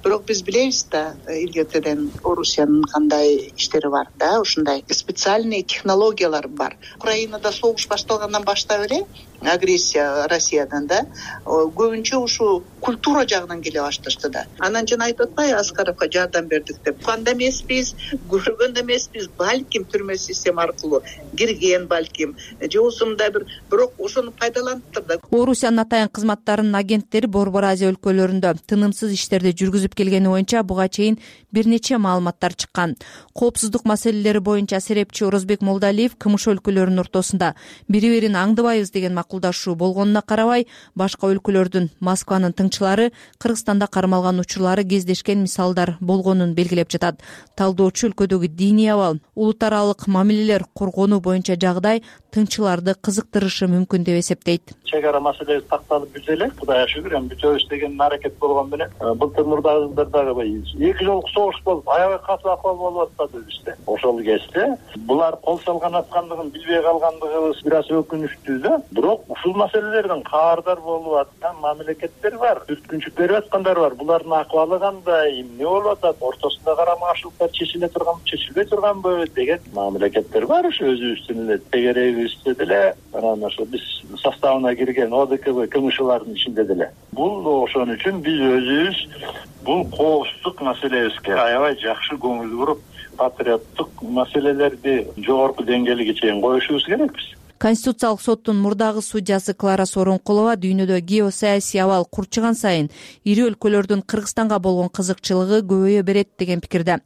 Бирок биз билебиз да, илгертеден Орусиянын кандай иштери бар да, ушундай специальный технологиялар бар. Украинада согуш башталгандан баштап эле агрессия Россиядан да көбүнчө ушу культура жагынан келе башташты да. Анан жана айтып атпайбы, Аскаровго жардам бердик деп. Уккан да эмеспиз, көргөн да эмеспиз, балким түрмө система аркылуу кирген балким, же осундай бирок ошону пайдаланыптыр да. Орусиянын атайын кызматтарынын агенттери Борбор Азия өлкөлөрүндө тынымсыз иштерди жүргүзүп келгени боюнча буга чейин бир нече маалыматтар чыккан. Коопсуздук маселелери боюнча серепчи Орозбек Молдалиев КМШ өлкөлөрүнүн ортосунда бири-бирин аңдыбайбыз деген макулдашуу болгонуна карабай, башка өлкөлөрдүн Москванын тыңчылары Кыргызстанда кармалган учурлары кездешкен мисалдар болгонун белгилеп жатат. Талдоочу өлкөдөгү диний абал, улут аралык мамилелер коргонуу боюнча жагдай тыңчыларды кызыктырышы мүмкүн деп эсептейт. Чек ара маселеси такталып бүтө элек, Кудайга шүгүр, эми бүтөбүз деген аракет болгон менен былтыр мурдагы жылдардагы эки жолку согуш болуп, аябай катуу акыбал болуп атпады бизде. Ошол кезде булар кол салган аткандыгын билбей калгандыгыбыз бир аз өкүнүчтүү да. Бирок ушул маселелерден кабардар болуп аткан мамлекеттер бар, түрткүнчүк берип аткандар бар. Булардын акыбалы кандай, эмне болуп атат, ортосунда карама-каршылыктар чечиле турганбы, чечилбей турганбы деген мамлекеттер бар. Ушу өзүбүздүн эле тегерегибизде деле, анан ошо биз составына кирген ОДКБ КМШлардын ичинде деле. Бул ошон үчүн биз өзүбүз бул коопсуздук маселебизге аябай жакшы көңүл буруп, патриоттук маселелерди жогорку деңгээлге чейин коюшубуз керекпиз. Конституциялык соттун мурдагы судьясы Клара Сооронкулова дүйнөдө геосаясий абал курчуган сайын ири өлкөлөрдүн Кыргызстанга болгон кызыкчылыгы көбөйө берет деген пикирде.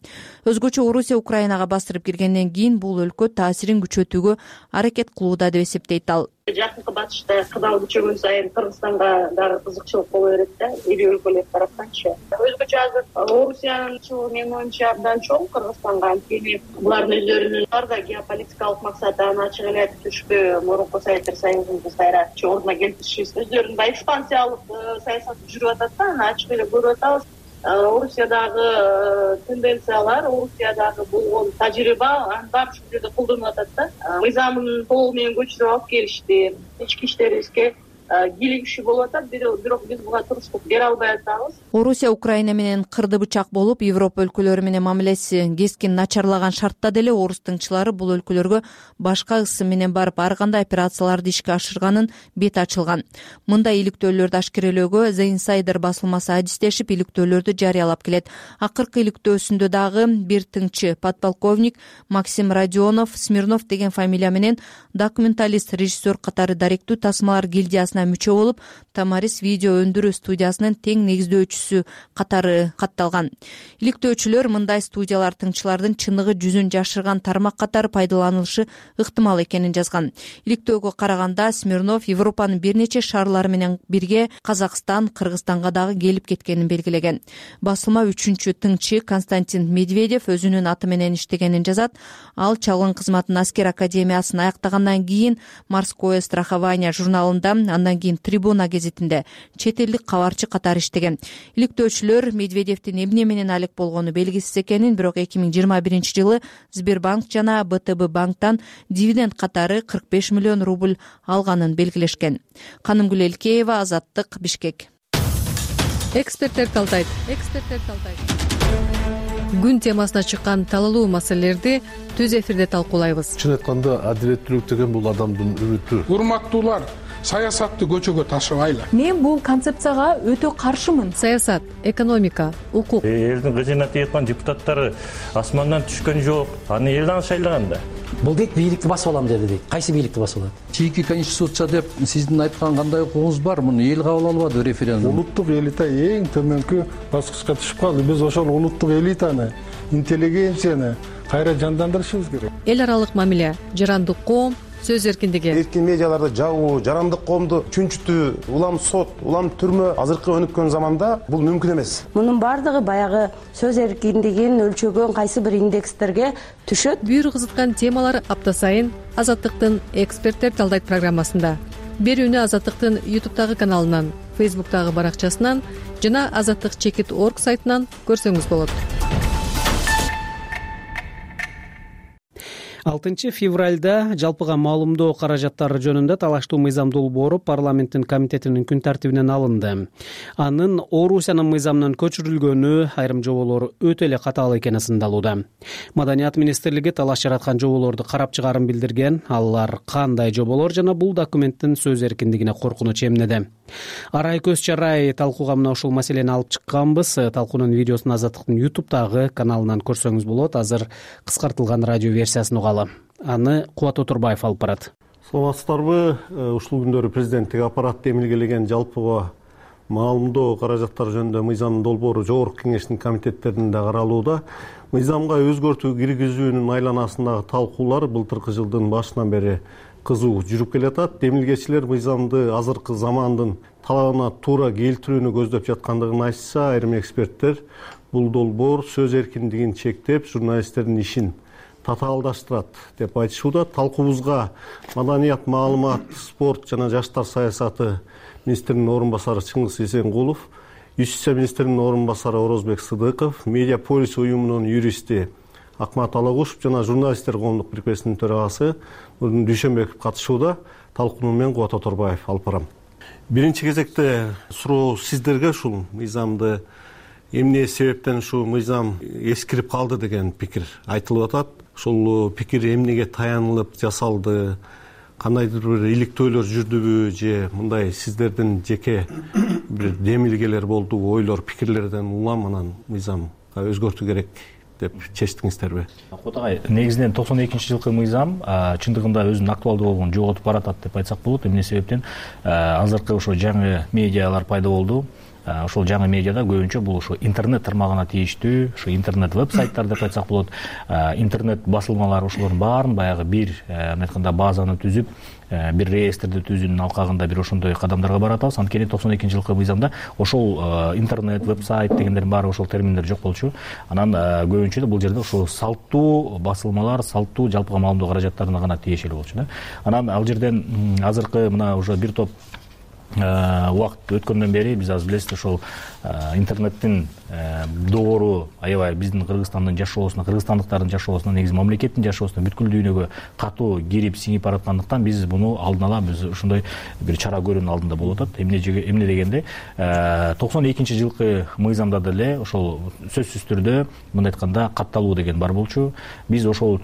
Өзгөчө Орусия Украинага бастырып киргенден кийин бул өлкө таасирин күчөтүүгө аракет кылууда деп эсептейт ал. Жакынкы батышта кыдал күчөгөн сайын Кыргызстанга дагы кызыкчылык боло берет да, ири өлкөлөр тараптанчы. Өзгөчө азыр Орусиянын чыгуу менин оюмча абдан чоң Кыргызстанга, анткени булардын өздөрүнүн бар да геополитикалык максаты аны ачык эле айтып түшпү, мурунку Советтер Союзунун кайра ордуна келтиришибиз. Өздөрүнүн баягы экспансиялык саясаты жүрүп атат да, аны ачык эле көрүп атабыз. Орусиядагы тенденциялар, Орусиядагы болгон тажрыйба аны баары ушул жерде колдонулуп атат да. Мыйзамын толугу менен көчүрүп алып келишти. Ички иштерибизге кийлигишүү болуп атат, бирок биз буга туруштук бере албай атабыз. Орусия Украина менен кырды бычак болуп, Европа өлкөлөрү менен мамилеси кескин начарлаган шартта деле орус тыңчылары бул өлкөлөргө башка ысым менен барып ар кандай операцияларды ишке ашырганын бет ачылган. Мындай иликтөөлөрдү ашкерелөөгө The Insider басылмасы адистешип иликтөөлөрдү жарыялап келет. Акыркы иликтөөсүндө дагы бир тыңчы подполковник Максим Родионов Смирнов деген фамилия менен документалист, режиссер катары даректүү тасмалар гильдиясына мүчө болуп, Тамарис видео өндүрүү студиясынын тең негиздөөчүсү катары катталган. Иликтөөчүлөр мындай студиялар тыңчылардын чыныгы жүзүн жашырган тармак катары пайдаланылышы ыктымал экенин жазган. Иликтөөгө караганда Смирнов Европанын бир нече шаарлары менен бирге Казакстан, Кыргызстанга дагы келип кеткенин белгилеген. Басылма 3-чү тыңчы Константин Медведев өзүнүн аты менен иштегенин жазат. Ал чалгын кызматын аскер академиясын аяктагандан кийин Морское страхование журналында, андан кийин Трибуна гезитинде чет элдик кабарчы катары иштеген. Иликтөөчүлөр Медведевдин эмне менен алек болгону белгисиз экенин, бирок 2021-жылы Сбербанк жана БТБ банктан дивиденд катары 45 миллион рубль алганын белгилешкен. Канымгүл Элкеева, Азаттык, Бишкек. Эксперттер талдайт. Күн темасына чыккан талалуу маселелерди түз эфирде талкуулайбыз. Чын айтканда, адилеттүүлүк деген бул адамдын үмүтү. Урматтуулар, саясатты көчөгө ташыбайлы. Мен бул концепцияга өтө каршымын. Саясат, экономика, укук. Элдин кызына тийган депутаттары асмандан түшкөн жок. Аны эл дагы шайлаган да. Бул дейт, бийликти басып алам деди дейт. Кайсы бийликти басып алат? Чийки конституция деп сиздин айткан кандай укугуңуз бар? Муну эл кабыл албады референдум. Улуттук элита эң төмөнкү баскычка түшүп калды. Биз ошол улуттук элитаны, интеллигенцияны кайра жандандырышыбыз керек. Эл аралык мамиле, жарандык коом, сөз эркиндиги. Эркин медиаларды жабуу, жарандык коомду чүнчүтүү, улам сот, улам түрмө азыркы өнүккөн заманда бул мүмкүн эмес. Мунун баардыгы баягы сөз эркиндигин өлчөгөн кайсы бир индекстерге түшөт. Бүйүр кызыткан темалар апта сайын Азаттыктын эксперттер талдайт программасында. Берүүнү Азаттыктын YouTube'дагы каналынан, Facebook'тагы баракчасынан жана azattik.org сайтынан көрсөңүз болот. 6 февралда жалпыга маалымдоо каражаттары жөнүндө талаштуу мыйзам долбоору парламенттин комитетинин күн тартибинен алынды. Анын Орусиянын мыйзамынан көчүрүлгөнү айрым жоболору өтө эле катаал экени сындалууда. Маданият министрлиги талаш жараткан жоболорду карап чыгаарын билдирген. Алар кандай жоболор жана бул документтин сөз эркиндигине коркунуч эмнеде? Арай көз чарай талкууга мына ушул маселени алып чыкканбыз. Талкуунун видеосун Азаттыктын YouTube'дагы каналынан көрсөңүз болот. Азыр кыскартылган радио версиясын угалы. Аны Кубат Отурбаев алып барат. Саламатсыздарбы? Ушул күндөрү президенттик аппарат демилгелеген жалпыга маалымдоо каражаттары жөнүндө мыйзам долбоору жогорку кеңештин комитеттеринде каралууда. Мыйзамга өзгөртүү киргизүүнүн айланасындагы талкуулар былтыркы жылдын башынан бери кызуу жүрүп келатат. Демилгечилер мыйзамды азыркы замандын талабына туура келтирүүнү көздөп жаткандыгын айтса, айрым эксперттер бул долбоор сөз эркиндигин чектеп, журналисттердин ишин татаалдаштырат деп айтышууда. Талкуубузга маданият, маалымат, спорт жана жаштар саясаты министринин орун басары Чыңгыз Эсенгулов, Юстиция министринин орун басары Орозбек Сыдыков, Медиаполис уюмунун юристи Акмат Алагушев жана журналисттер коомдук бирикмесинин төрагасы Нурдин Дүйшөнбеков катышууда. Талкууну мен Кубат Оторбаев алып барам. Биринчи кезекте суроо сиздерге ушул мыйзамды эмне себептен ушул мыйзам эскирип калды деген пикир айтылып атат. Ушул пикир эмнеге таянылып жасалды? Кандайдыр бир иликтөөлөр жүрдүбү же мындай сиздердин жеке бир демилгелер болдубу, ойлор, пикирлерден улам анан мыйзамга өзгөртүү керек деп чечтиңиздерби? Кубат агай, негизинен 92-жылкы мыйзам чындыгында өзүнүн актуалдуулугун жоготуп баратат деп айтсак болот. Эмне себептен азыркы ошо жаңы медиалар пайда болду. Ошол жаңы медиада көбүнчө бул ошо интернет тармагына тийиштүү, ошо интернет веб-сайттар деп айтсак болот. Интернет басылмалар ошолордун баарын баягы бир айтканда базаны түзүп, бир реестрди түзүүнүн алкагында бир ошондой кадамдарга баратабыз. Анткени 92-жылкы мыйзамда ошол интернет, веб-сайт дегендердин баары ошол терминдер жок болчу. Анан көбүнчө бул жерде ошол салттуу басылмалар, салттуу жалпыга маалымдоо каражаттарына гана тиешелүү болчу да. Анан ал жерден азыркы мына уже бир топ убакыт өткөндөн бери биз азыр билесиз ошол интернеттин доору аябай биздин Кыргызстандын жашоосуна, кыргызстандыктардын жашоосуна, негизи мамлекеттин жашоосуна бүткүл дүйнөгө катуу кирип сиңип бараткандыктан биз буну алдын ала биз ошондой бир чара көрүүнүн алдында болуп атат. Эмне дегенде 92-жылкы мыйзамда деле ошол сөзсүз түрдө мындай айтканда катталуу деген бар болчу. Биз ошол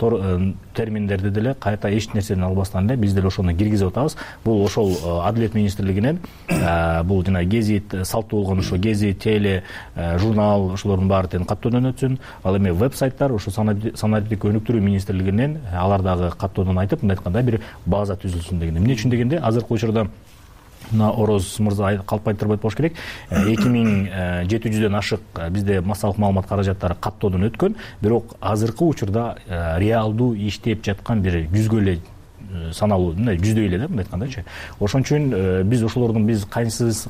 терминдерди деле кайта эч нерседен албастан эле биз деле ошону киргизип атабыз. Бул ошол Адилет министрлигинен бул жана гезит салттуу болгон ошо гезит, теле, журнал ошолордун баары тең каттоодон өтсүн. Ал эми веб-сайттар ошо санариптик өнүктүрүү министрлигинен алар дагы каттоодон айтып, мындай айтканда бир база түзүлсүн деген. Эмне үчүн дегенде азыркы учурда мына Ороз мырза калп айтырбайт болуш керек. 2700дөн ашык бизде массалык маалымат каражаттары каттоодон өткөн, бирок азыркы учурда реалдуу иштеп жаткан бир 100гө эле саналуу, мындай 100дөй эле да мындай айткандачы. Ошон үчүн биз ошолордун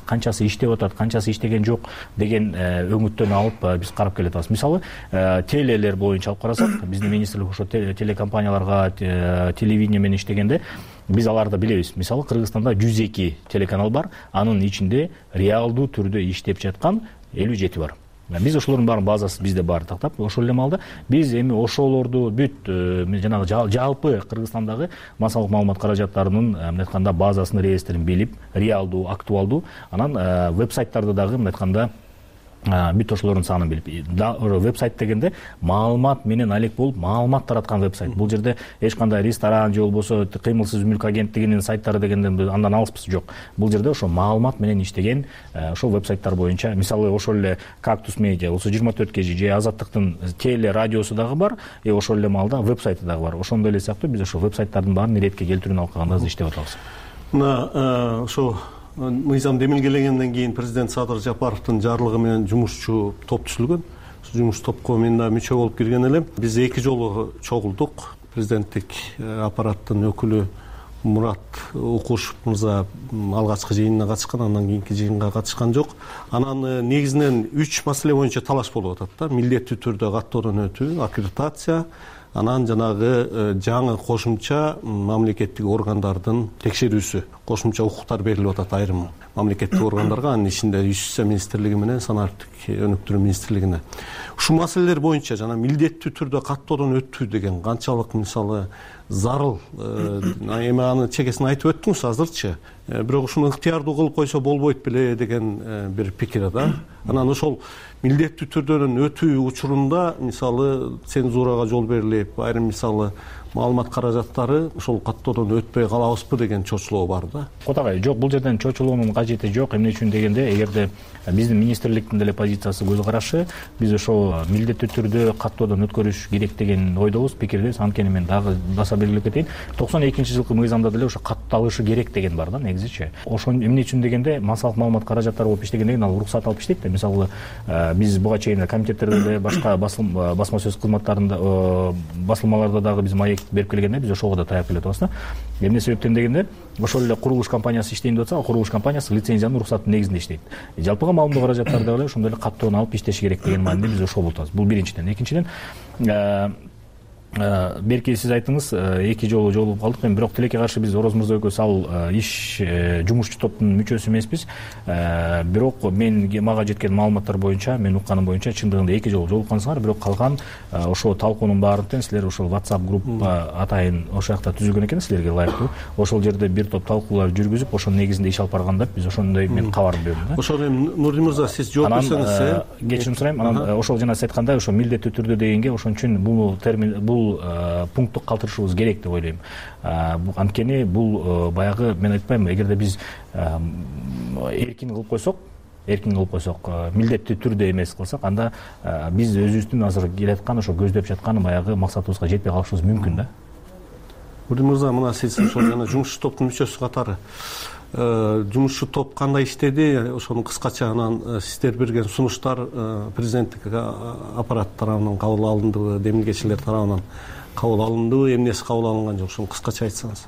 канчасы иштеп атат, канчасы иштеген жок деген өңүттөн алып биз карап келатабыз. Мисалы, телелер боюнча алып карасак, биздин министрлик ошо телекомпанияларга телевидение менен иштегенде биз аларды билебиз. Мисалы, Кыргызстанда 102 телеканал бар, анын ичинде реалдуу түрдө иштеп жаткан 57 бар. Биз ошолордун баарын базасы бизде бар тактап, ошол эле маалда биз эми ошолорду бүт жанагы жалпы Кыргызстандагы массалык маалымат каражаттарынын мындай айтканда базасын, реестрин билип, реалдуу, актуалдуу, анан веб-сайттарды дагы мындай айтканда бүт ошолордун санын билип, веб-сайт дегенде маалымат менен алек болуп, маалымат тараткан веб-сайт. Бул жерде эч кандай ресторан же болбосо кыймылсыз мүлк агенттигинин сайттары дегенде андан алыспыз жок. Бул жерде ошо маалымат менен иштеген ошол веб-сайттар боюнча, мисалы ошол эле Кактус медиа, болсо 24 кежи же Азаттыктын теле радиосу дагы бар, ошол эле маалда веб-сайты дагы бар. Ошондой эле сыяктуу биз ошол веб-сайттардын баарын иретке келтирүүнү алкагында иштеп атабыз. Мына ошо мыйзам демилгелегенден кийин президент Садыр Жапаровдун жарлыгы менен жумушчу топ түзүлгөн. Жумуш топко мен да мүчө болуп кирген элем. Биз 2 жолу чогулдук. Президенттик аппараттын өкүлү Мурат Укушев мырза алгачкы жыйынына катышкан, андан кийинки жыйынга катышкан жок. Анан негизинен 3 маселе боюнча талаш болуп атат да. Милдеттүү түрдө каттоодон өтүү, аккредитация, анан жанагы жаңы кошумча мамлекеттик органдардын текшерүүсү, кошумча укуктар берилип атат айрым мамлекеттик органдарга, анын ичинде Юстиция министрлиги менен санариптик өнүктүрүү министрлигине. Ушул маселелер боюнча жана милдеттүү түрдө каттоодон өтүү деген канчалык мисалы зарыл, эми аны чекесин айтып өттүңүз азырчы, бирок ушуну ыктыярдуу кылып койсо болбойт беле деген бир пикир да. Анан ошол милдеттүү түрдөн өтүү учурунда мисалы цензурага жол берилип, айрым мисалы маалымат каражаттары ошол каттоодон өтпөй калабызбы деген чочулоо бар да. Котагай, жок, бул жерден чочулоонун кажети жок. Эмне үчүн дегенде, эгерде биздин министрликтин деле позициясы, көз карашы, биз ошол милдеттүү түрдө каттоодон өткөрүш керек деген ойдобуз, пикирдебиз. Анткени мен дагы баса белгилеп кетейин, 92-жылкы мыйзамда деле ошо катталышы керек деген бар да негизичи. Ошо эмне үчүн дегенде, массалык маалымат каражаттары болуп иштегенден кийин ал уруксат алып иштейт да. Мисалы биз буга чейин комитеттерде деле, башка басма сөз кызматтарында, басылмаларда дагы биз маек берип келгенде биз ошого да таяп келе атабыз да. Эмне себептен дегенде, ошол эле курулуш компаниясы иштейин деп атса, ал курулуш компаниясы лицензиянын уруксатынын негизинде иштейт. Жалпыга маалымдоо каражаттары дагы ошондой эле каттоон алып иштеши керек деген мааниде биз ошол болуп атабыз. Бул биринчиден. Экинчиден, берки сиз айттыңыз, 2 жолу жолугуп калдык. Эми бирок тилекке каршы биз Ороз мырза экөөбүз ал иш жумушчу топтун мүчөсү эмеспиз. Бирок мага жеткен маалыматтар боюнча, мен укканым боюнча чындыгында 2 жолу жолуккансыңар, бирок калган ошо талкуунун баарынтен силер ошол WhatsApp группа атайын ошол жакта түзүлгөн экен, силерге ылайыктуу. Ошол жерде бир топ талкуулар жүргүзүп, ошонун негизинде иш алып барган деп биз ошондой мен кабар бердим да. Ошол эми Нурди мырза сиз жооп берсеңиз. Кечирим сурайм. Анан ошол жана сиз айткандай, ошо милдеттүү түрдө дегенге ошон үчүн бул термин, бул пунктту калтырышыбыз керек деп ойлойм. Анткени бул баягы, мен айтпаймынбы, эгерде биз эркин кылып койсок, милдеттүү түрдө эмес кылсак, анда биз өзүбүздүн азыр келаткан ошо көздөп жаткан баягы максатыбызга жетпей калышыбыз мүмкүн да. Нурди мырза, мына сиз ошол жана жумушчу топтун мүчөсү катары жумушчу топ кандай иштеди, ошону кыскача анан сиздер берген сунуштар президенттик аппарат тарабынан кабыл алындыбы, демилгечилер тарабынан кабыл алындыбы, эмнеси кабыл алынган жок, ошону кыскача айтсаңыз.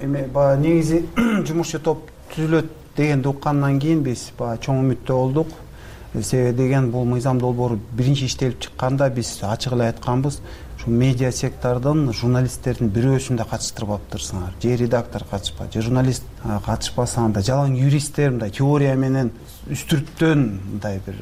Эми баягы негизи жумушчу топ түзүлөт дегенди уккандан кийин биз баягы чоң үмүттө болдук. Себеби деген, бул мыйзам долбоору биринчи иштелип чыкканда биз ачык эле айтканбыз, ушу медиа сектордун журналисттердин бирөөсүн да катыштырбаптырсыңар. Же редактор катышпа, же журналист катышпаса, анда жалаң юристтер мындай теория менен үстүрттөн мындай бир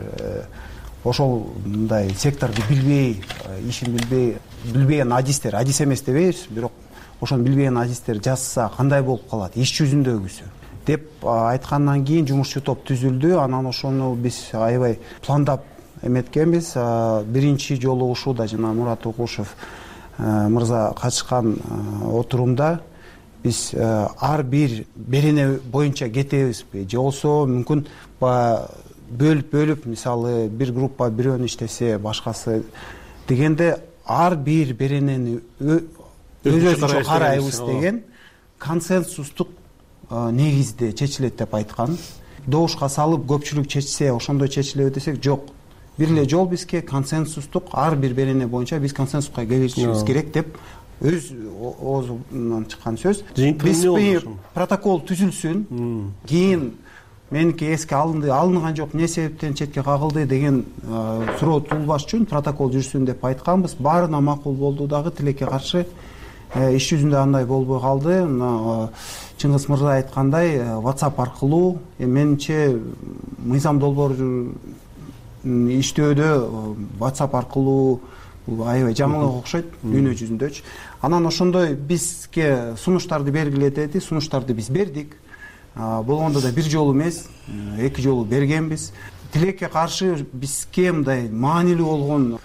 ошол мындай секторду билбей, ишин билбеген адистер, адис эмес дебейбиз, бирок ошону билбеген адистер жазса кандай болуп калат иш жүзүндөгүсү деп айткандан кийин жумушчу топ түзүлдү. Анан ошону биз аябай пландап эметкенбиз. Биринчи жолу ушуда жана Мурат Укушев мырза катышкан отурумда биз ар бир берене боюнча кетебизби, же болбосо мүмкүн бөлүп, мисалы бир группа бирөөнү иштесе, башкасы дегенде ар бир беренени өзүнчө карайбыз деген консенсустук негизде чечилет деп айткан. Добушка салып көпчүлүк чечсе ошондой чечилеби десек, жок. Бир эле жол бизге консенсустук, ар бир берене боюнча биз консенсуска келишибиз керек деп өз оозунан чыккан сөз. Биз протокол түзүлсүн, кийин меники эске алынган жок, эмне себептен четке кагылды деген суроо туулбаш үчүн протокол жүрсүн деп айтканбыз. Баарына макул болду дагы, тилекке каршы иш жүзүндө андай болбой калды. Чыңгыз мырза айткандай, WhatsApp аркылуу, менимче мыйзам долбоору иштөөдө WhatsApp аркылуу аябай жаңылык окшойт дүйнө жүзүндөчү. Анан ошондой бизге сунуштарды бергиле деди, сунуштарды биз бердик. Болгондо да бир жолу эмес, 2 жолу бергенбиз. Тилекке каршы бизге мындай маанилүү болгон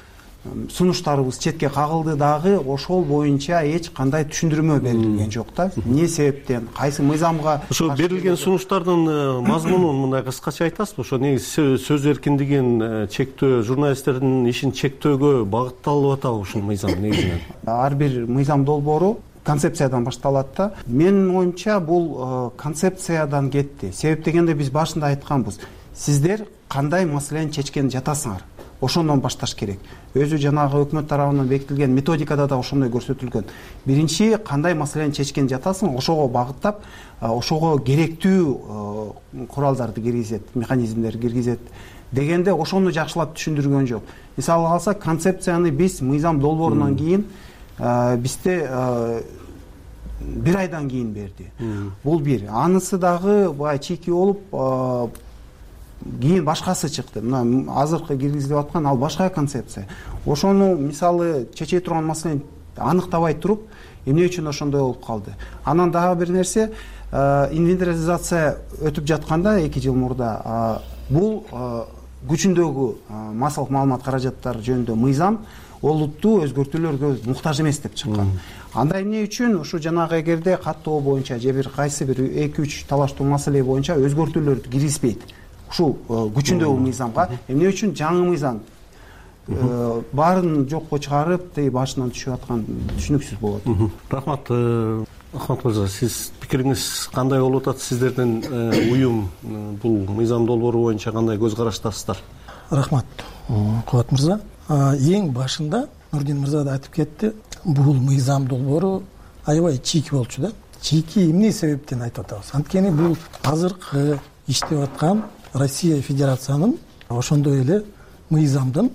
сунуштарыбыз четке кагылды дагы, ошол боюнча эч кандай түшүндүрмө берилген жок да. Эмне себептен, кайсы мыйзамга ошо берилген сунуштардын мазмунун мындай кыскача айтасызбы? Ошо негизи сөз эркиндигин чектөө, журналисттердин ишин чектөөгө багытталып атабы ушул мыйзам негизинен? Ар бир мыйзам долбоору концепциядан башталат да. Менин оюмча бул концепциядан кетти. Себеп дегенде биз башында айтканбыз, сиздер кандай маселени чечкен жатасыңар. ошондон башташ керек. Өзү жанагы өкмөт тарабынан бекитилген методикада да ошондой көрсөтүлгөн. Биринчи кандай маселени чечкен жатасың, ошого багыттап, ошого керектүү куралдарды киргизет, механизмдерди киргизет дегенде ошону жакшылап түшүндүргөн жок. Мисалы алсак, концепцияны биз мыйзам долбоорунан кийин бизде 1 айдан кийин берди. Бул бир. Анысы дагы баягы чийки болуп, кийин башкасы чыкты. Мына азыркы киргизилип аткан ал башка концепция. Ошону мисалы чече турган маселени аныктабай туруп, эмне үчүн ошондой болуп калды. Анан дагы бир нерсе, инвентаризация өтүп жатканда 2 жыл мурда бул күчүндөгү массалык маалымат каражаттары жөнүндө мыйзам олуттуу өзгөртүүлөргө муктаж эмес деп чыккан. Анда эмне үчүн ушу жанагы эгерде каттоо боюнча же бир кайсы бир 2-3 талаштуу маселе боюнча өзгөртүүлөрдү киргизбейт ушул күчүндөгү мыйзамга, эмне үчүн жаңы мыйзам баарын жокко чыгарып, башынан түшүп аткан түшүнүксүз болот. Рахмат. Ахмат мырза, сиз пикириңиз кандай болуп атат? Сиздердин уюм бул мыйзам долбоору боюнча кандай көз караштасыздар? Рахмат, Кубат мырза. Эң башында Нурдин мырза да айтып кетти, бул мыйзам долбоору аябай чийки болчу да. Чийки эмне себептен айтып атабыз? Анткени бул азыркы иштеп аткан Россия Федерациянын ошондой эле мыйзамдын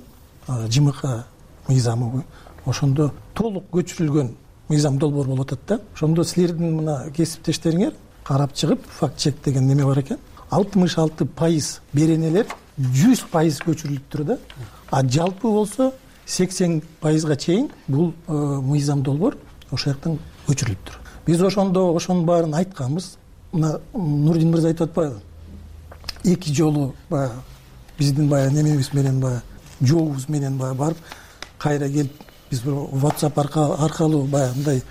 ЖМК мыйзамы ошондо толук көчүрүлгөн мыйзам долбоор болуп атат да. Ошондо силердин мына кесиптештериңер карап чыгып, факт чек деген неме бар экен. 66% беренелер 100% көчүрүлүптүр да. А жалпы болсо 80%га чейин бул мыйзам долбоор ошол жактан көчүрүлүптүр. Биз ошондо ошонун баарын айтканбыз. Мына Нурдин мырза айтып атпайбы? 2 жолу баягы биздин баягы немебиз менен баягы жообуз менен баягы барып кайра келип биз бир WhatsApp аркылуу баягы мындай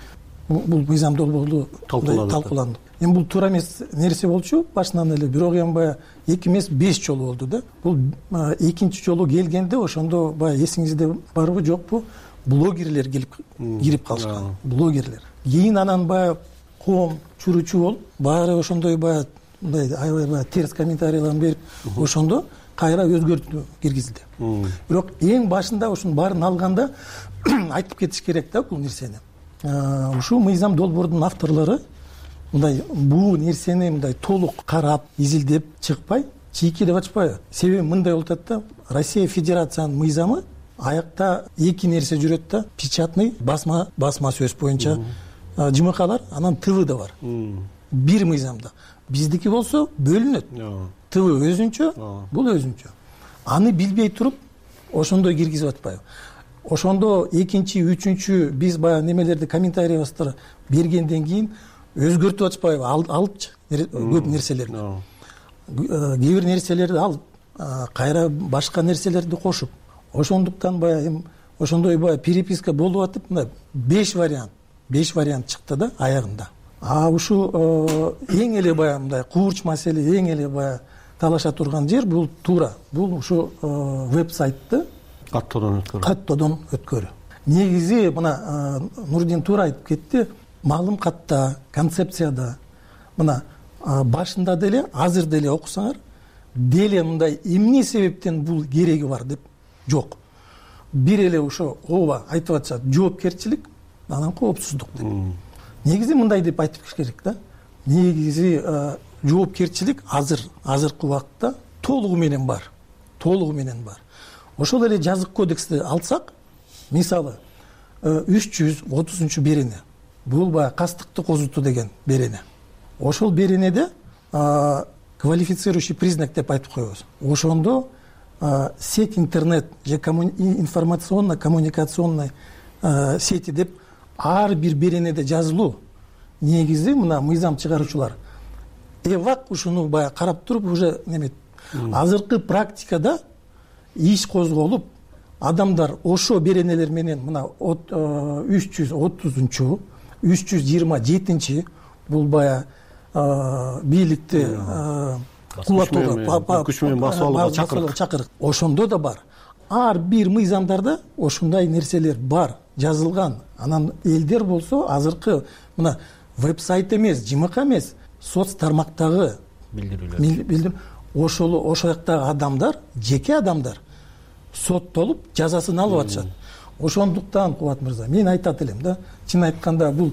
бул мыйзам долбоорду талкууландык. Эми бул туура эмес нерсе болчу башынан эле, бирок эми баягы 2 эмес 5 жолу болду да. Бул экинчи жолу келгенде ошондо баягы эсиңизде барбы жокпу, блогерлер кирип калышкан. Блогерлер. Кийин анан баягы коом чуручу болуп, баары ошондой баягы мындай аябай баягы терс комментарийларын берип, ошондо кайра өзгөртүү киргизилди. Бирок эң башында ушунун баарын алганда айтып кетиш керек да бул нерсени. Ушул мыйзам долбоордун авторлору мындай бул нерсени мындай толук карап, изилдеп чыкпай, чийки деп ачпайбы? Себеби мындай болуп атат да, Россия Федерациянын мыйзамы аякта 2 нерсе жүрөт да, печатный басма сөз боюнча ЖМКлар, анан ТВ да бар. Бир мыйзамда. Биздики болсо бөлүнөт. ТВ өзүнчө, бул өзүнчө. Аны билбей туруп ошондой киргизип атпайбы? Ошондо экинчи, үчүнчү биз баягы немелерди комментариябызды бергенден кийин өзгөртүп атпайбы? Алыпчы көп нерселерди. Кээ бир нерселерди алып, кайра башка нерселерди кошуп. Ошондуктан баягы эми ошондой баягы переписка болуп атып, мына 5 вариант чыкты да аягында. Ушул эң эле баягы мындай куурч маселе, эң эле баягы талаша турган жер бул туура. Бул ушу веб-сайтты каттоодон өткөрүү. Негизи мына Нурдин туура айтып кетти, маалым катта, концепцияда мына башында деле, азыр деле окусаңар, деле мындай эмне себептен бул кереги бар деп жок. Бир эле ошо ооба айтып атышат, жоопкерчилик, анан коопсуздук деп. Негизи мындай деп айтып керек да. Негизи жоопкерчилик азыркы убакытта толугу менен бар. Ошол эле жазык кодексти алсак, мисалы 330 берене. Бул баягы кастыкты козутуу деген берене. Ошол беренеде квалифицирующий признак деп айтып коебуз. Ошондо сеть интернет же информационно-коммуникационный сети деп ар бир беренеде жазылуу. Негизи мына мыйзам чыгаруучулар эвак ушуну баягы карап туруп уже немет. Азыркы практикада иш козголуп, адамдар ошо беренелер менен мына 330-чу, 327-чи бул баягы бийликти кулатууга, күч менен басып алууга чакырык. Ошондо да бар. Ар бир мыйзамдарда ошондой нерселер бар, жазылган. Анан элдер болсо азыркы мына веб-сайт эмес, ЖМК эмес, соц тармактагы билдирүү ошол жактагы адамдар, жеке адамдар соттолуп жазасын алып атышат. Ошондуктан Кубат мырза, мен айтат элем да, чын айтканда бул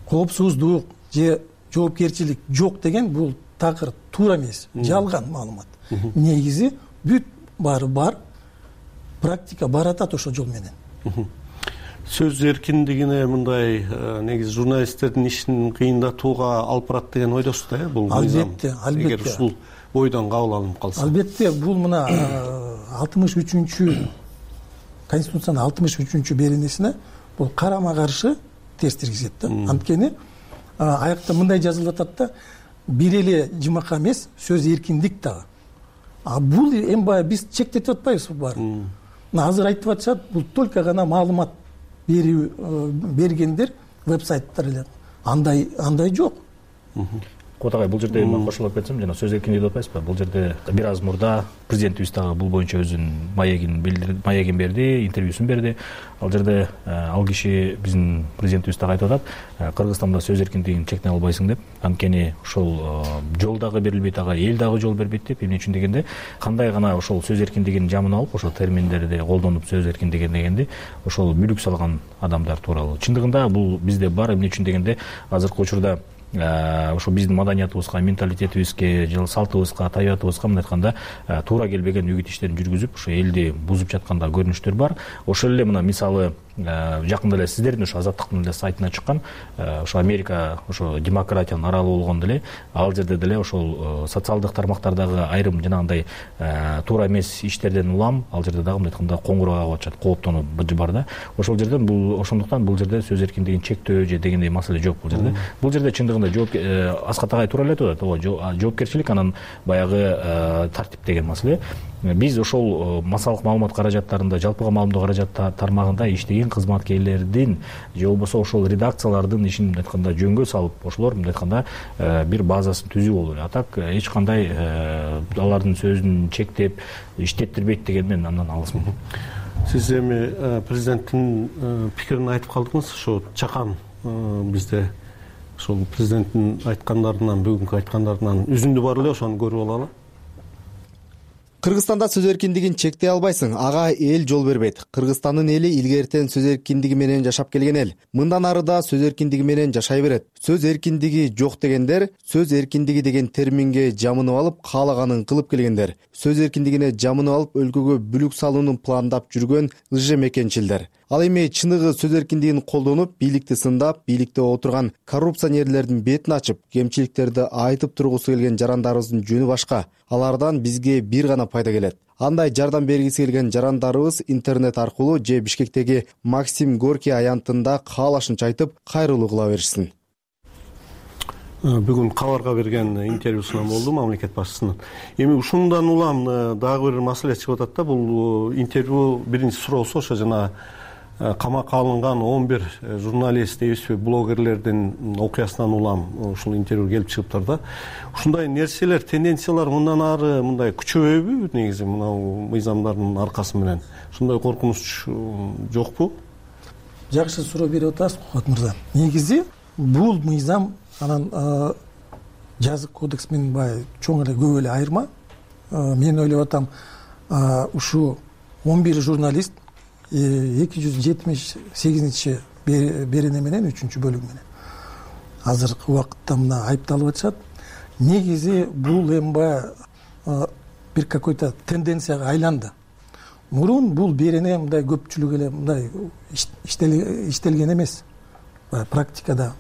коопсуздук же жоопкерчилик жок деген бул такыр туура эмес, жалган маалымат. Негизи бүт баары бар, практика баратат ошол жол менен. Сөз эркиндигине мындай негизи журналисттердин ишин кыйындатууга алып барат деген ойдосуз да, бул албетте, албетте. Эгер ушул бойдон кабыл алынып калса. Албетте, бул мына 63 Конституциянын 63 беренесине бул карама каршы терс киргизет да. Анткени аякта мындай жазылып атат да, бир эле жымакка эмес, сөз эркиндик дагы. Бул эми баягы биз чектетип атпайбызбы баарын? Азыр айтып атышат, бул только гана маалымат бергендер веб-сайттар эле. Андай жок. Кубат агай, бул жерде мен кошулуп кетсем, жана сөз эркиндиги деп атпайсызбы? Бул жерде бир аз мурда президентибиз дагы бул боюнча өзүнүн маегин берди, интервьюсун берди. Ал жерде ал киши биздин президентибиз дагы айтып атат, Кыргызстанда сөз эркиндигин чектей албайсың деп. Анткени ошол жол дагы берилбейт, ага эл дагы жол бербейт деп. Эмне үчүн дегенде, кандай гана ошол сөз эркиндигин жамын алып, ошол терминдерди колдонуп сөз эркиндиги дегенди, ошол бүлүк салган адамдар тууралуу. Чындыгында бул бизде бар. Эмне үчүн дегенде, азыркы учурда ошо биздин маданиятыбызга, менталитетибизге, же салтыбызга, табиятыбызга мындай айтканда туура келбеген үгүт иштерин жүргүзүп, ошо элди бузуп жаткан да көрүнүштөр бар. Ошол эле мына мисалы жакында эле сиздердин ошо Азаттыктын эле сайтына чыккан ошо Америка ошо демократиянын аралы болгондо эле ал жерде деле ошол социалдык тармактардагы айрым жанагындай туура эмес иштерден улам ал жерде дагы мындай айтканда коңгуроо кагып атышат, кооптонуу бар да. Ошол жерден бул ошондуктан бул жерде сөз эркиндигин чектөө же дегендей маселе жок бул жерде. Бул жерде чындыгында Аскат агай туура эле айтып атат, жоопкерчилик анан баягы тартип деген маселе. Биз ошол массалык маалымат каражаттарында, жалпыга маалымдоо каражат тармагында иштеген кызматкерлердин же болбосо ошол редакциялардын ишин мындай айтканда жөнгө салып, ошолор мындай айтканда бир базасын түзүү болду. Атак эч кандай алардын сөзүн чектеп, иштеттирбейт деген мен андан алысмын. Сиз эми президенттин пикирин айтып калдыңыз. Ошо чакан бизде ошол президенттин айткандарынан, бүгүнкү айткандарынан үзүндү бар эле, ошону көрүп алалы. Кыргызстанда сөз эркиндигин чектей албайсың, ага эл жол бербейт. Кыргызстандын эли илгертен сөз эркиндиги менен жашап келген эл. Мындан ары да сөз эркиндиги менен жашай берет. Сөз эркиндиги жок дегендер, сөз эркиндиги деген терминге жамынып алып, каалаганын кылып келгендер. Сөз эркиндигине жамынып алып, өлкөгө бүлүк салууну пландап жүргөн ыжемекенчилдер. Ал эми чыныгы сөз эркиндигин колдонуп, бийликти сындап, бийликте отурган коррупционерлердин бетин ачып, кемчиликтерди айтып тургусу келген жарандарыбыздын жөнү башка. Алардан бизге бир гана пайда келет. Андай жардам бергиси келген жарандарыбыз интернет аркылуу же Бишкектеги Максим Горький аянтында каалашынча айтып, кайрылуу кыла беришсин. Бүгүн кабарга берген интервьюсунан болду мамлекет башчысынын. Эми ушундан улам дагы бир маселе чыгып атат да, бул интервью биринчи суроосу ошо жана камакка алынган 11 журналист, дейбизби, блогерлердин окуясынан улам ушул интервью келип чыгыптыр да. Ушундай нерселер, тенденциялар мындан ары мындай күчөбөйбү негизи мынау мыйзамдардын аркасы менен? Ушундай коркунуч жокпу? Жакшы суроо берип атасыз, Кубат мырза. Негизи бул мыйзам анан жазык кодекс менен баягы чоң эле көп эле айырма. Мен ойлоп атам, ушу 11 журналист 278 берене менен 3-бөлүг менен азыркы убакытта мына айыпталып атышат. Негизи бул эми баягы бир какой-то тенденцияга айланды. Мурун бул берене мындай көпчүлүк эле мындай иштелген эмес. Практикада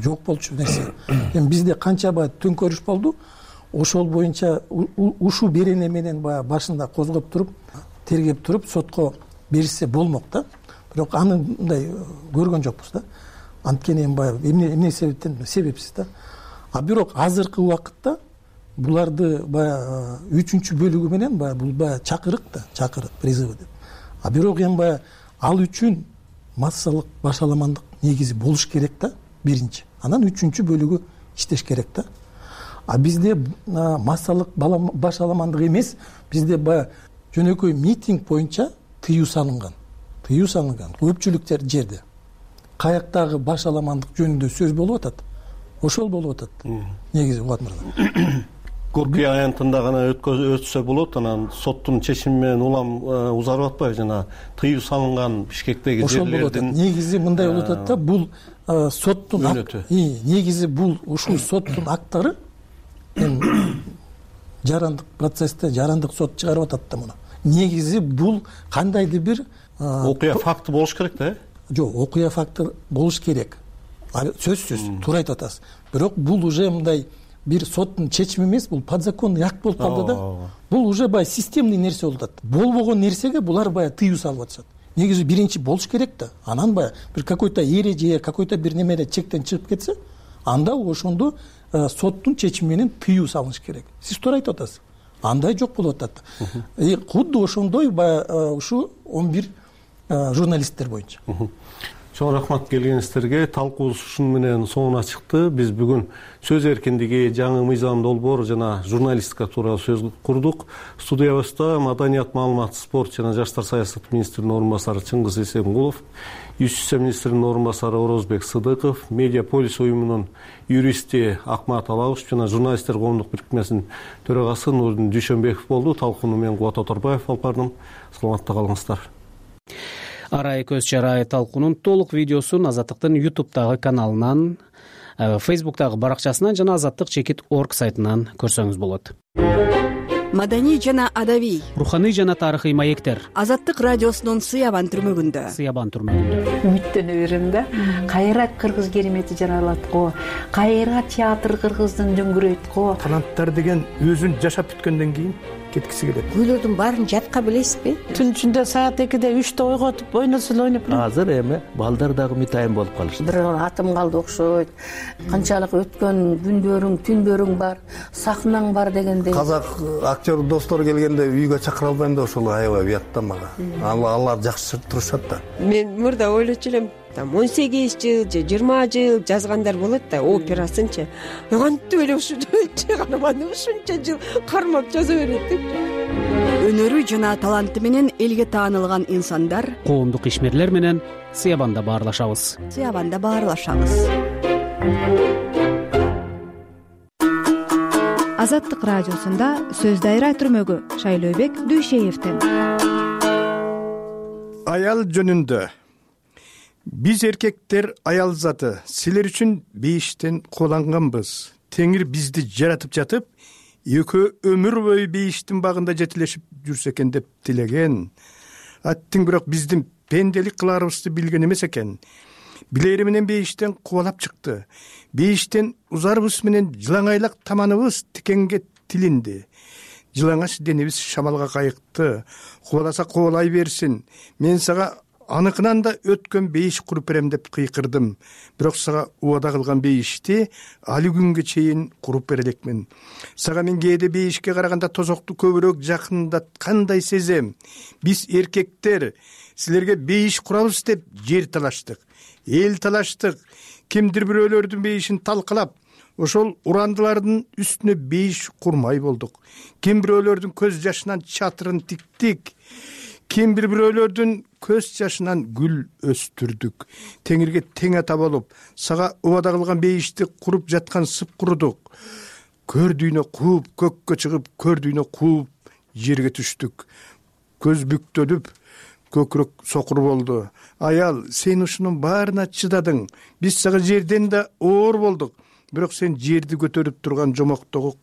жок болчу нерсе. Эми бизде канча баягы төңкөрүш болду. Ошол боюнча ушу берене менен баягы башында козгоп туруп, тергеп туруп, сотко беришсе болмок да. Бирок аны мындай көргөн жокпуз да. Анткени эми баягы эмне себептен себепсиз да. Бирок азыркы убакытта буларды баягы 3-бөлүгү менен баягы бул баягы чакырык призывы деп. Бирок эми баягы ал үчүн массалык башаламандык негизи болуш керек да, биринчи. Анан 3-бөлүгү иштеш керек да. Бизде массалык башаламандык эмес, бизде баягы жөнөкөй митинг боюнча тыюу салынган көпчүлүк жерде. Каяктагы башаламандык жөнүндө сөз болуп атат. Ошол болуп атат. Негизи Кубат мырза. окуя аянтында гана өтсө болот, анан соттун чечими менен улам узарып атпайбы, жана тыюу салынган Бишкектеги жерлердин. Негизи мындай болуп атат да, бул соттун негизи бул ушул соттун актары жарандык процессте жарандык сот чыгарып атат да муну. Негизи бул кандайдыр бир окуя факты болуш керек да? Жок, окуя факты болуш керек. Сөзсүз, туура айтып атасыз. Бирок бул уже мындай бир соттун чечими эмес, бул подзаконный акт болуп калды да. Бул уже баягы системный нерсе болуп атат. Болбогон нерсеге булар баягы тыюу салып атышат. Негизи биринчи болуш керек да. Анан баягы бир какой-то эреже, какой-то бир немеде чектен чыгып кетсе, анда ошондо соттун чечими менен тыюу салыныш керек. Сиз туура айтып атасыз. Андай жок болуп атат. Кудду ошондой баягы ушу 11 журналисттер боюнча. Чоң рахмат келгениңиздерге. Талкуубуз ушуну менен соңуна чыкты. Биз бүгүн сөз эркиндиги, жаңы мыйзам долбоор жана журналистика тууралуу сөз курдук. Студиябызда Маданият, маалымат, спорт жана жаштар саясаты министринин орун басары Чыңгыз Эсенгулов, Юстиция министринин орун басары Орозбек Сыдыков, Медиаполис уюмунун юристи Акмат Алабов жана журналисттер коомдук бирикмесинин төрагасы Нурдин Дүйшөнбеков болду. Талкууну мен Кубат Оторбаев алып бардым. Саламатта калыңыздар. Арай көз чарай талкуунун толук видеосун Азаттыктын YouTube'дагы каналынан, Facebook'тагы баракчасынан жана azattik.org сайтынан көрсөңүз болот. Маданий жана адабий, руханий жана тарыхый маектер. Азаттык радиосунун Сыябан түрмөгүндө. Үмүттөнө берем да. Кайра кыргыз керемети жаралат го. Кайра театр кыргыздын дөңгүрөйт го. Таланттар деген өзүн жашап бүткөндөн кийин кеткиси келет. Күйлөрдүн баарын жатка билесизби? Түн ичинде саат 2-де 3-те ойготуп ойносун ойноп. Азыр эми балдар дагы мытайын болуп калышты. Бир атым калды окшойт. Канчалык өткөн күндөрүң, түндөрүң бар, сахнаң бар дегендей. Казак актер достор келгенде үйгө чакыра албайм да ошол аябай уятта мага. Алар жакшы турушат да. Мен мурда ойлочу элем, 18 жыл же 20 жыл жазгандар болот да, операсынчы. Кантип эле ушунча карманып ушунча жыл кармап жаза берет деп. Өнөрү жана таланты менен элге таанылган инсандар, коомдук ишмерлер менен Сыябанда баарлашабыз. Азаттык радиосунда сөз дайра түрмөгү Шайлообек Дүйшеевден. Аял жөнүндө. Биз эркектер аял заты, силер үчүн бейиштен кууланганбыз. Теңир бизди жаратып жатып, экөө өмүр бою бейиштин багында жетилешип жүрсө экен деп тилеген. Аттың бирок биздин пенделик кыларыбызды билген эмес экен. Билери менен бейиштен кубалап чыкты. Бейиштен узарыбыз менен жылаңайлак таманыбыз тикенге тилинди. Жылаңач денебиз шамалга кайыкты. Кубаласа кубалай берсин. Мен сага аныкынан да өткөн бейиш куруп берем деп кыйкырдым. Бирок сага убада кылган бейишти али күнгө чейин куруп бере элекмин. Сага мен кээде бейишке караганда тозокту көбүрөөк жакындаткандай сезем. Биз эркектер силерге бейиш курабыз деп жер талаштык, эл талаштык. Кимдир бирөөлөрдүн бейишин талкалап, ошол урандылардын үстүнө бейиш курмай болдук. Ким бирөөлөрдүн көз жашынан чатырын тиктик. Ким бирөөлөрдүн көз жашынан гүл өстүрдүк. Теңирге тең ата болуп, сага убада кылган бейишти куруп жаткан сып курудук. Көрдүйнө кууп, көккө чыгып, көрдүйнө кууп, жерге түштүк. Көз бүктөлүп, көкүрөк сокур болду. Аял, сен ушунун баарына чыдадың. Биз сага жерден да оор болдук. Бирок сен жерди көтөрүп турган жомоктогу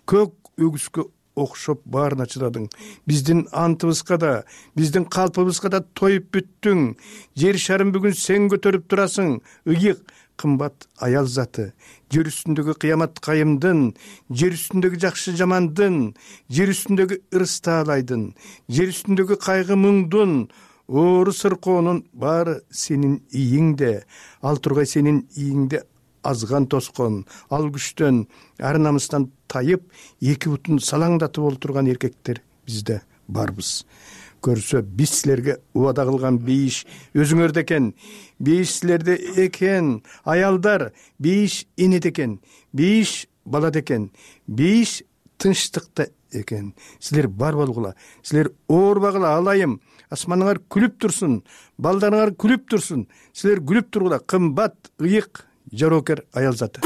көк өгүзгө окшоп баарына чыдадың. Биздин антыбызга да, биздин калпыбызга да тоюп бүттүң. Жер шарын бүгүн сен көтөрүп турасың. Ыйык, кымбат аял заты. Жер үстүндөгү кыямат кайымдын, жер үстүндөгү жакшы жамандын, жер үстүндөгү ырыс таалайдын, жер үстүндөгү кайгы муңдун, оору сыркоонун баары сенин ийиңде. Ал тургай сенин ийиңде азган тоскон, ал күчтөн, ар намыстан тайып, эки бутун салаңдатып олтурган эркектер бизде барбыз. Көрсө, биз силерге убада кылган бейиш өзүңөрдө экен. Бейиш силерде экен. Аялдар, бейиш энеде экен. Бейиш балада экен. Бейиш тынчтыкта экен. Силер бар болгула. Силер оорбагыла, алайым. Асманыңар күлүп турсун. Балдарыңар күлүп турсун. Силер күлүп тургула. Кымбат, ыйык, жароокер аял заты.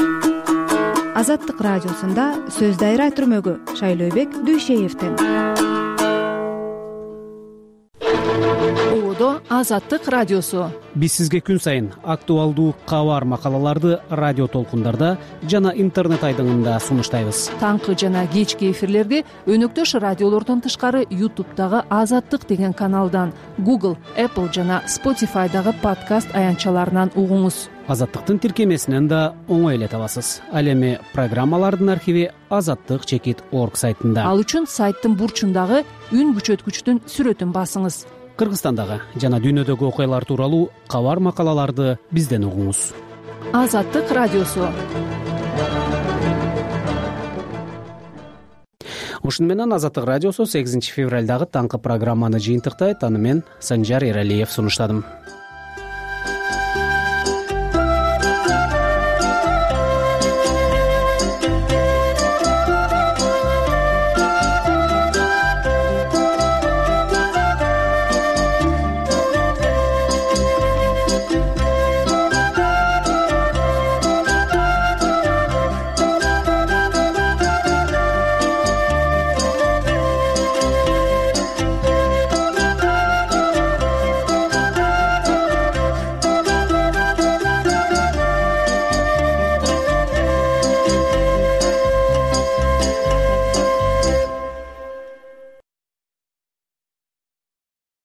Азаттык радиосунда сөз дайра түрмөгү Шайлообек Дүйшеевден. Азаттык радиосу. Биз сизге күн сайын актуалдуу кабар макалаларды радио толкундарда жана интернет айдыңында сунуштайбыз. Таңкы жана кечки эфирлерди өнөктөш радиолордон тышкары YouTube'дагы Азаттык деген каналдан, Google, Apple жана Spotify'дагы подкаст аянтчаларынан угуңуз. Азаттыктын тиркемесинен да оңой эле табасыз. Ал эми программалардын архиви azattik.org сайтында. Ал үчүн сайттын бурчундагы үн күчөткүчтүн сүрөтүн басыңыз. Кыргызстандагы жана дүйнөдөгү окуялар тууралуу кабар макалаларды бизден угуңуз. Азаттык радиосу. Ушуну менен Азаттык радиосу 8 февралдагы таңкы программаны жыйынтыктайт. Аны мен Санжар Эралиев сунуштадым.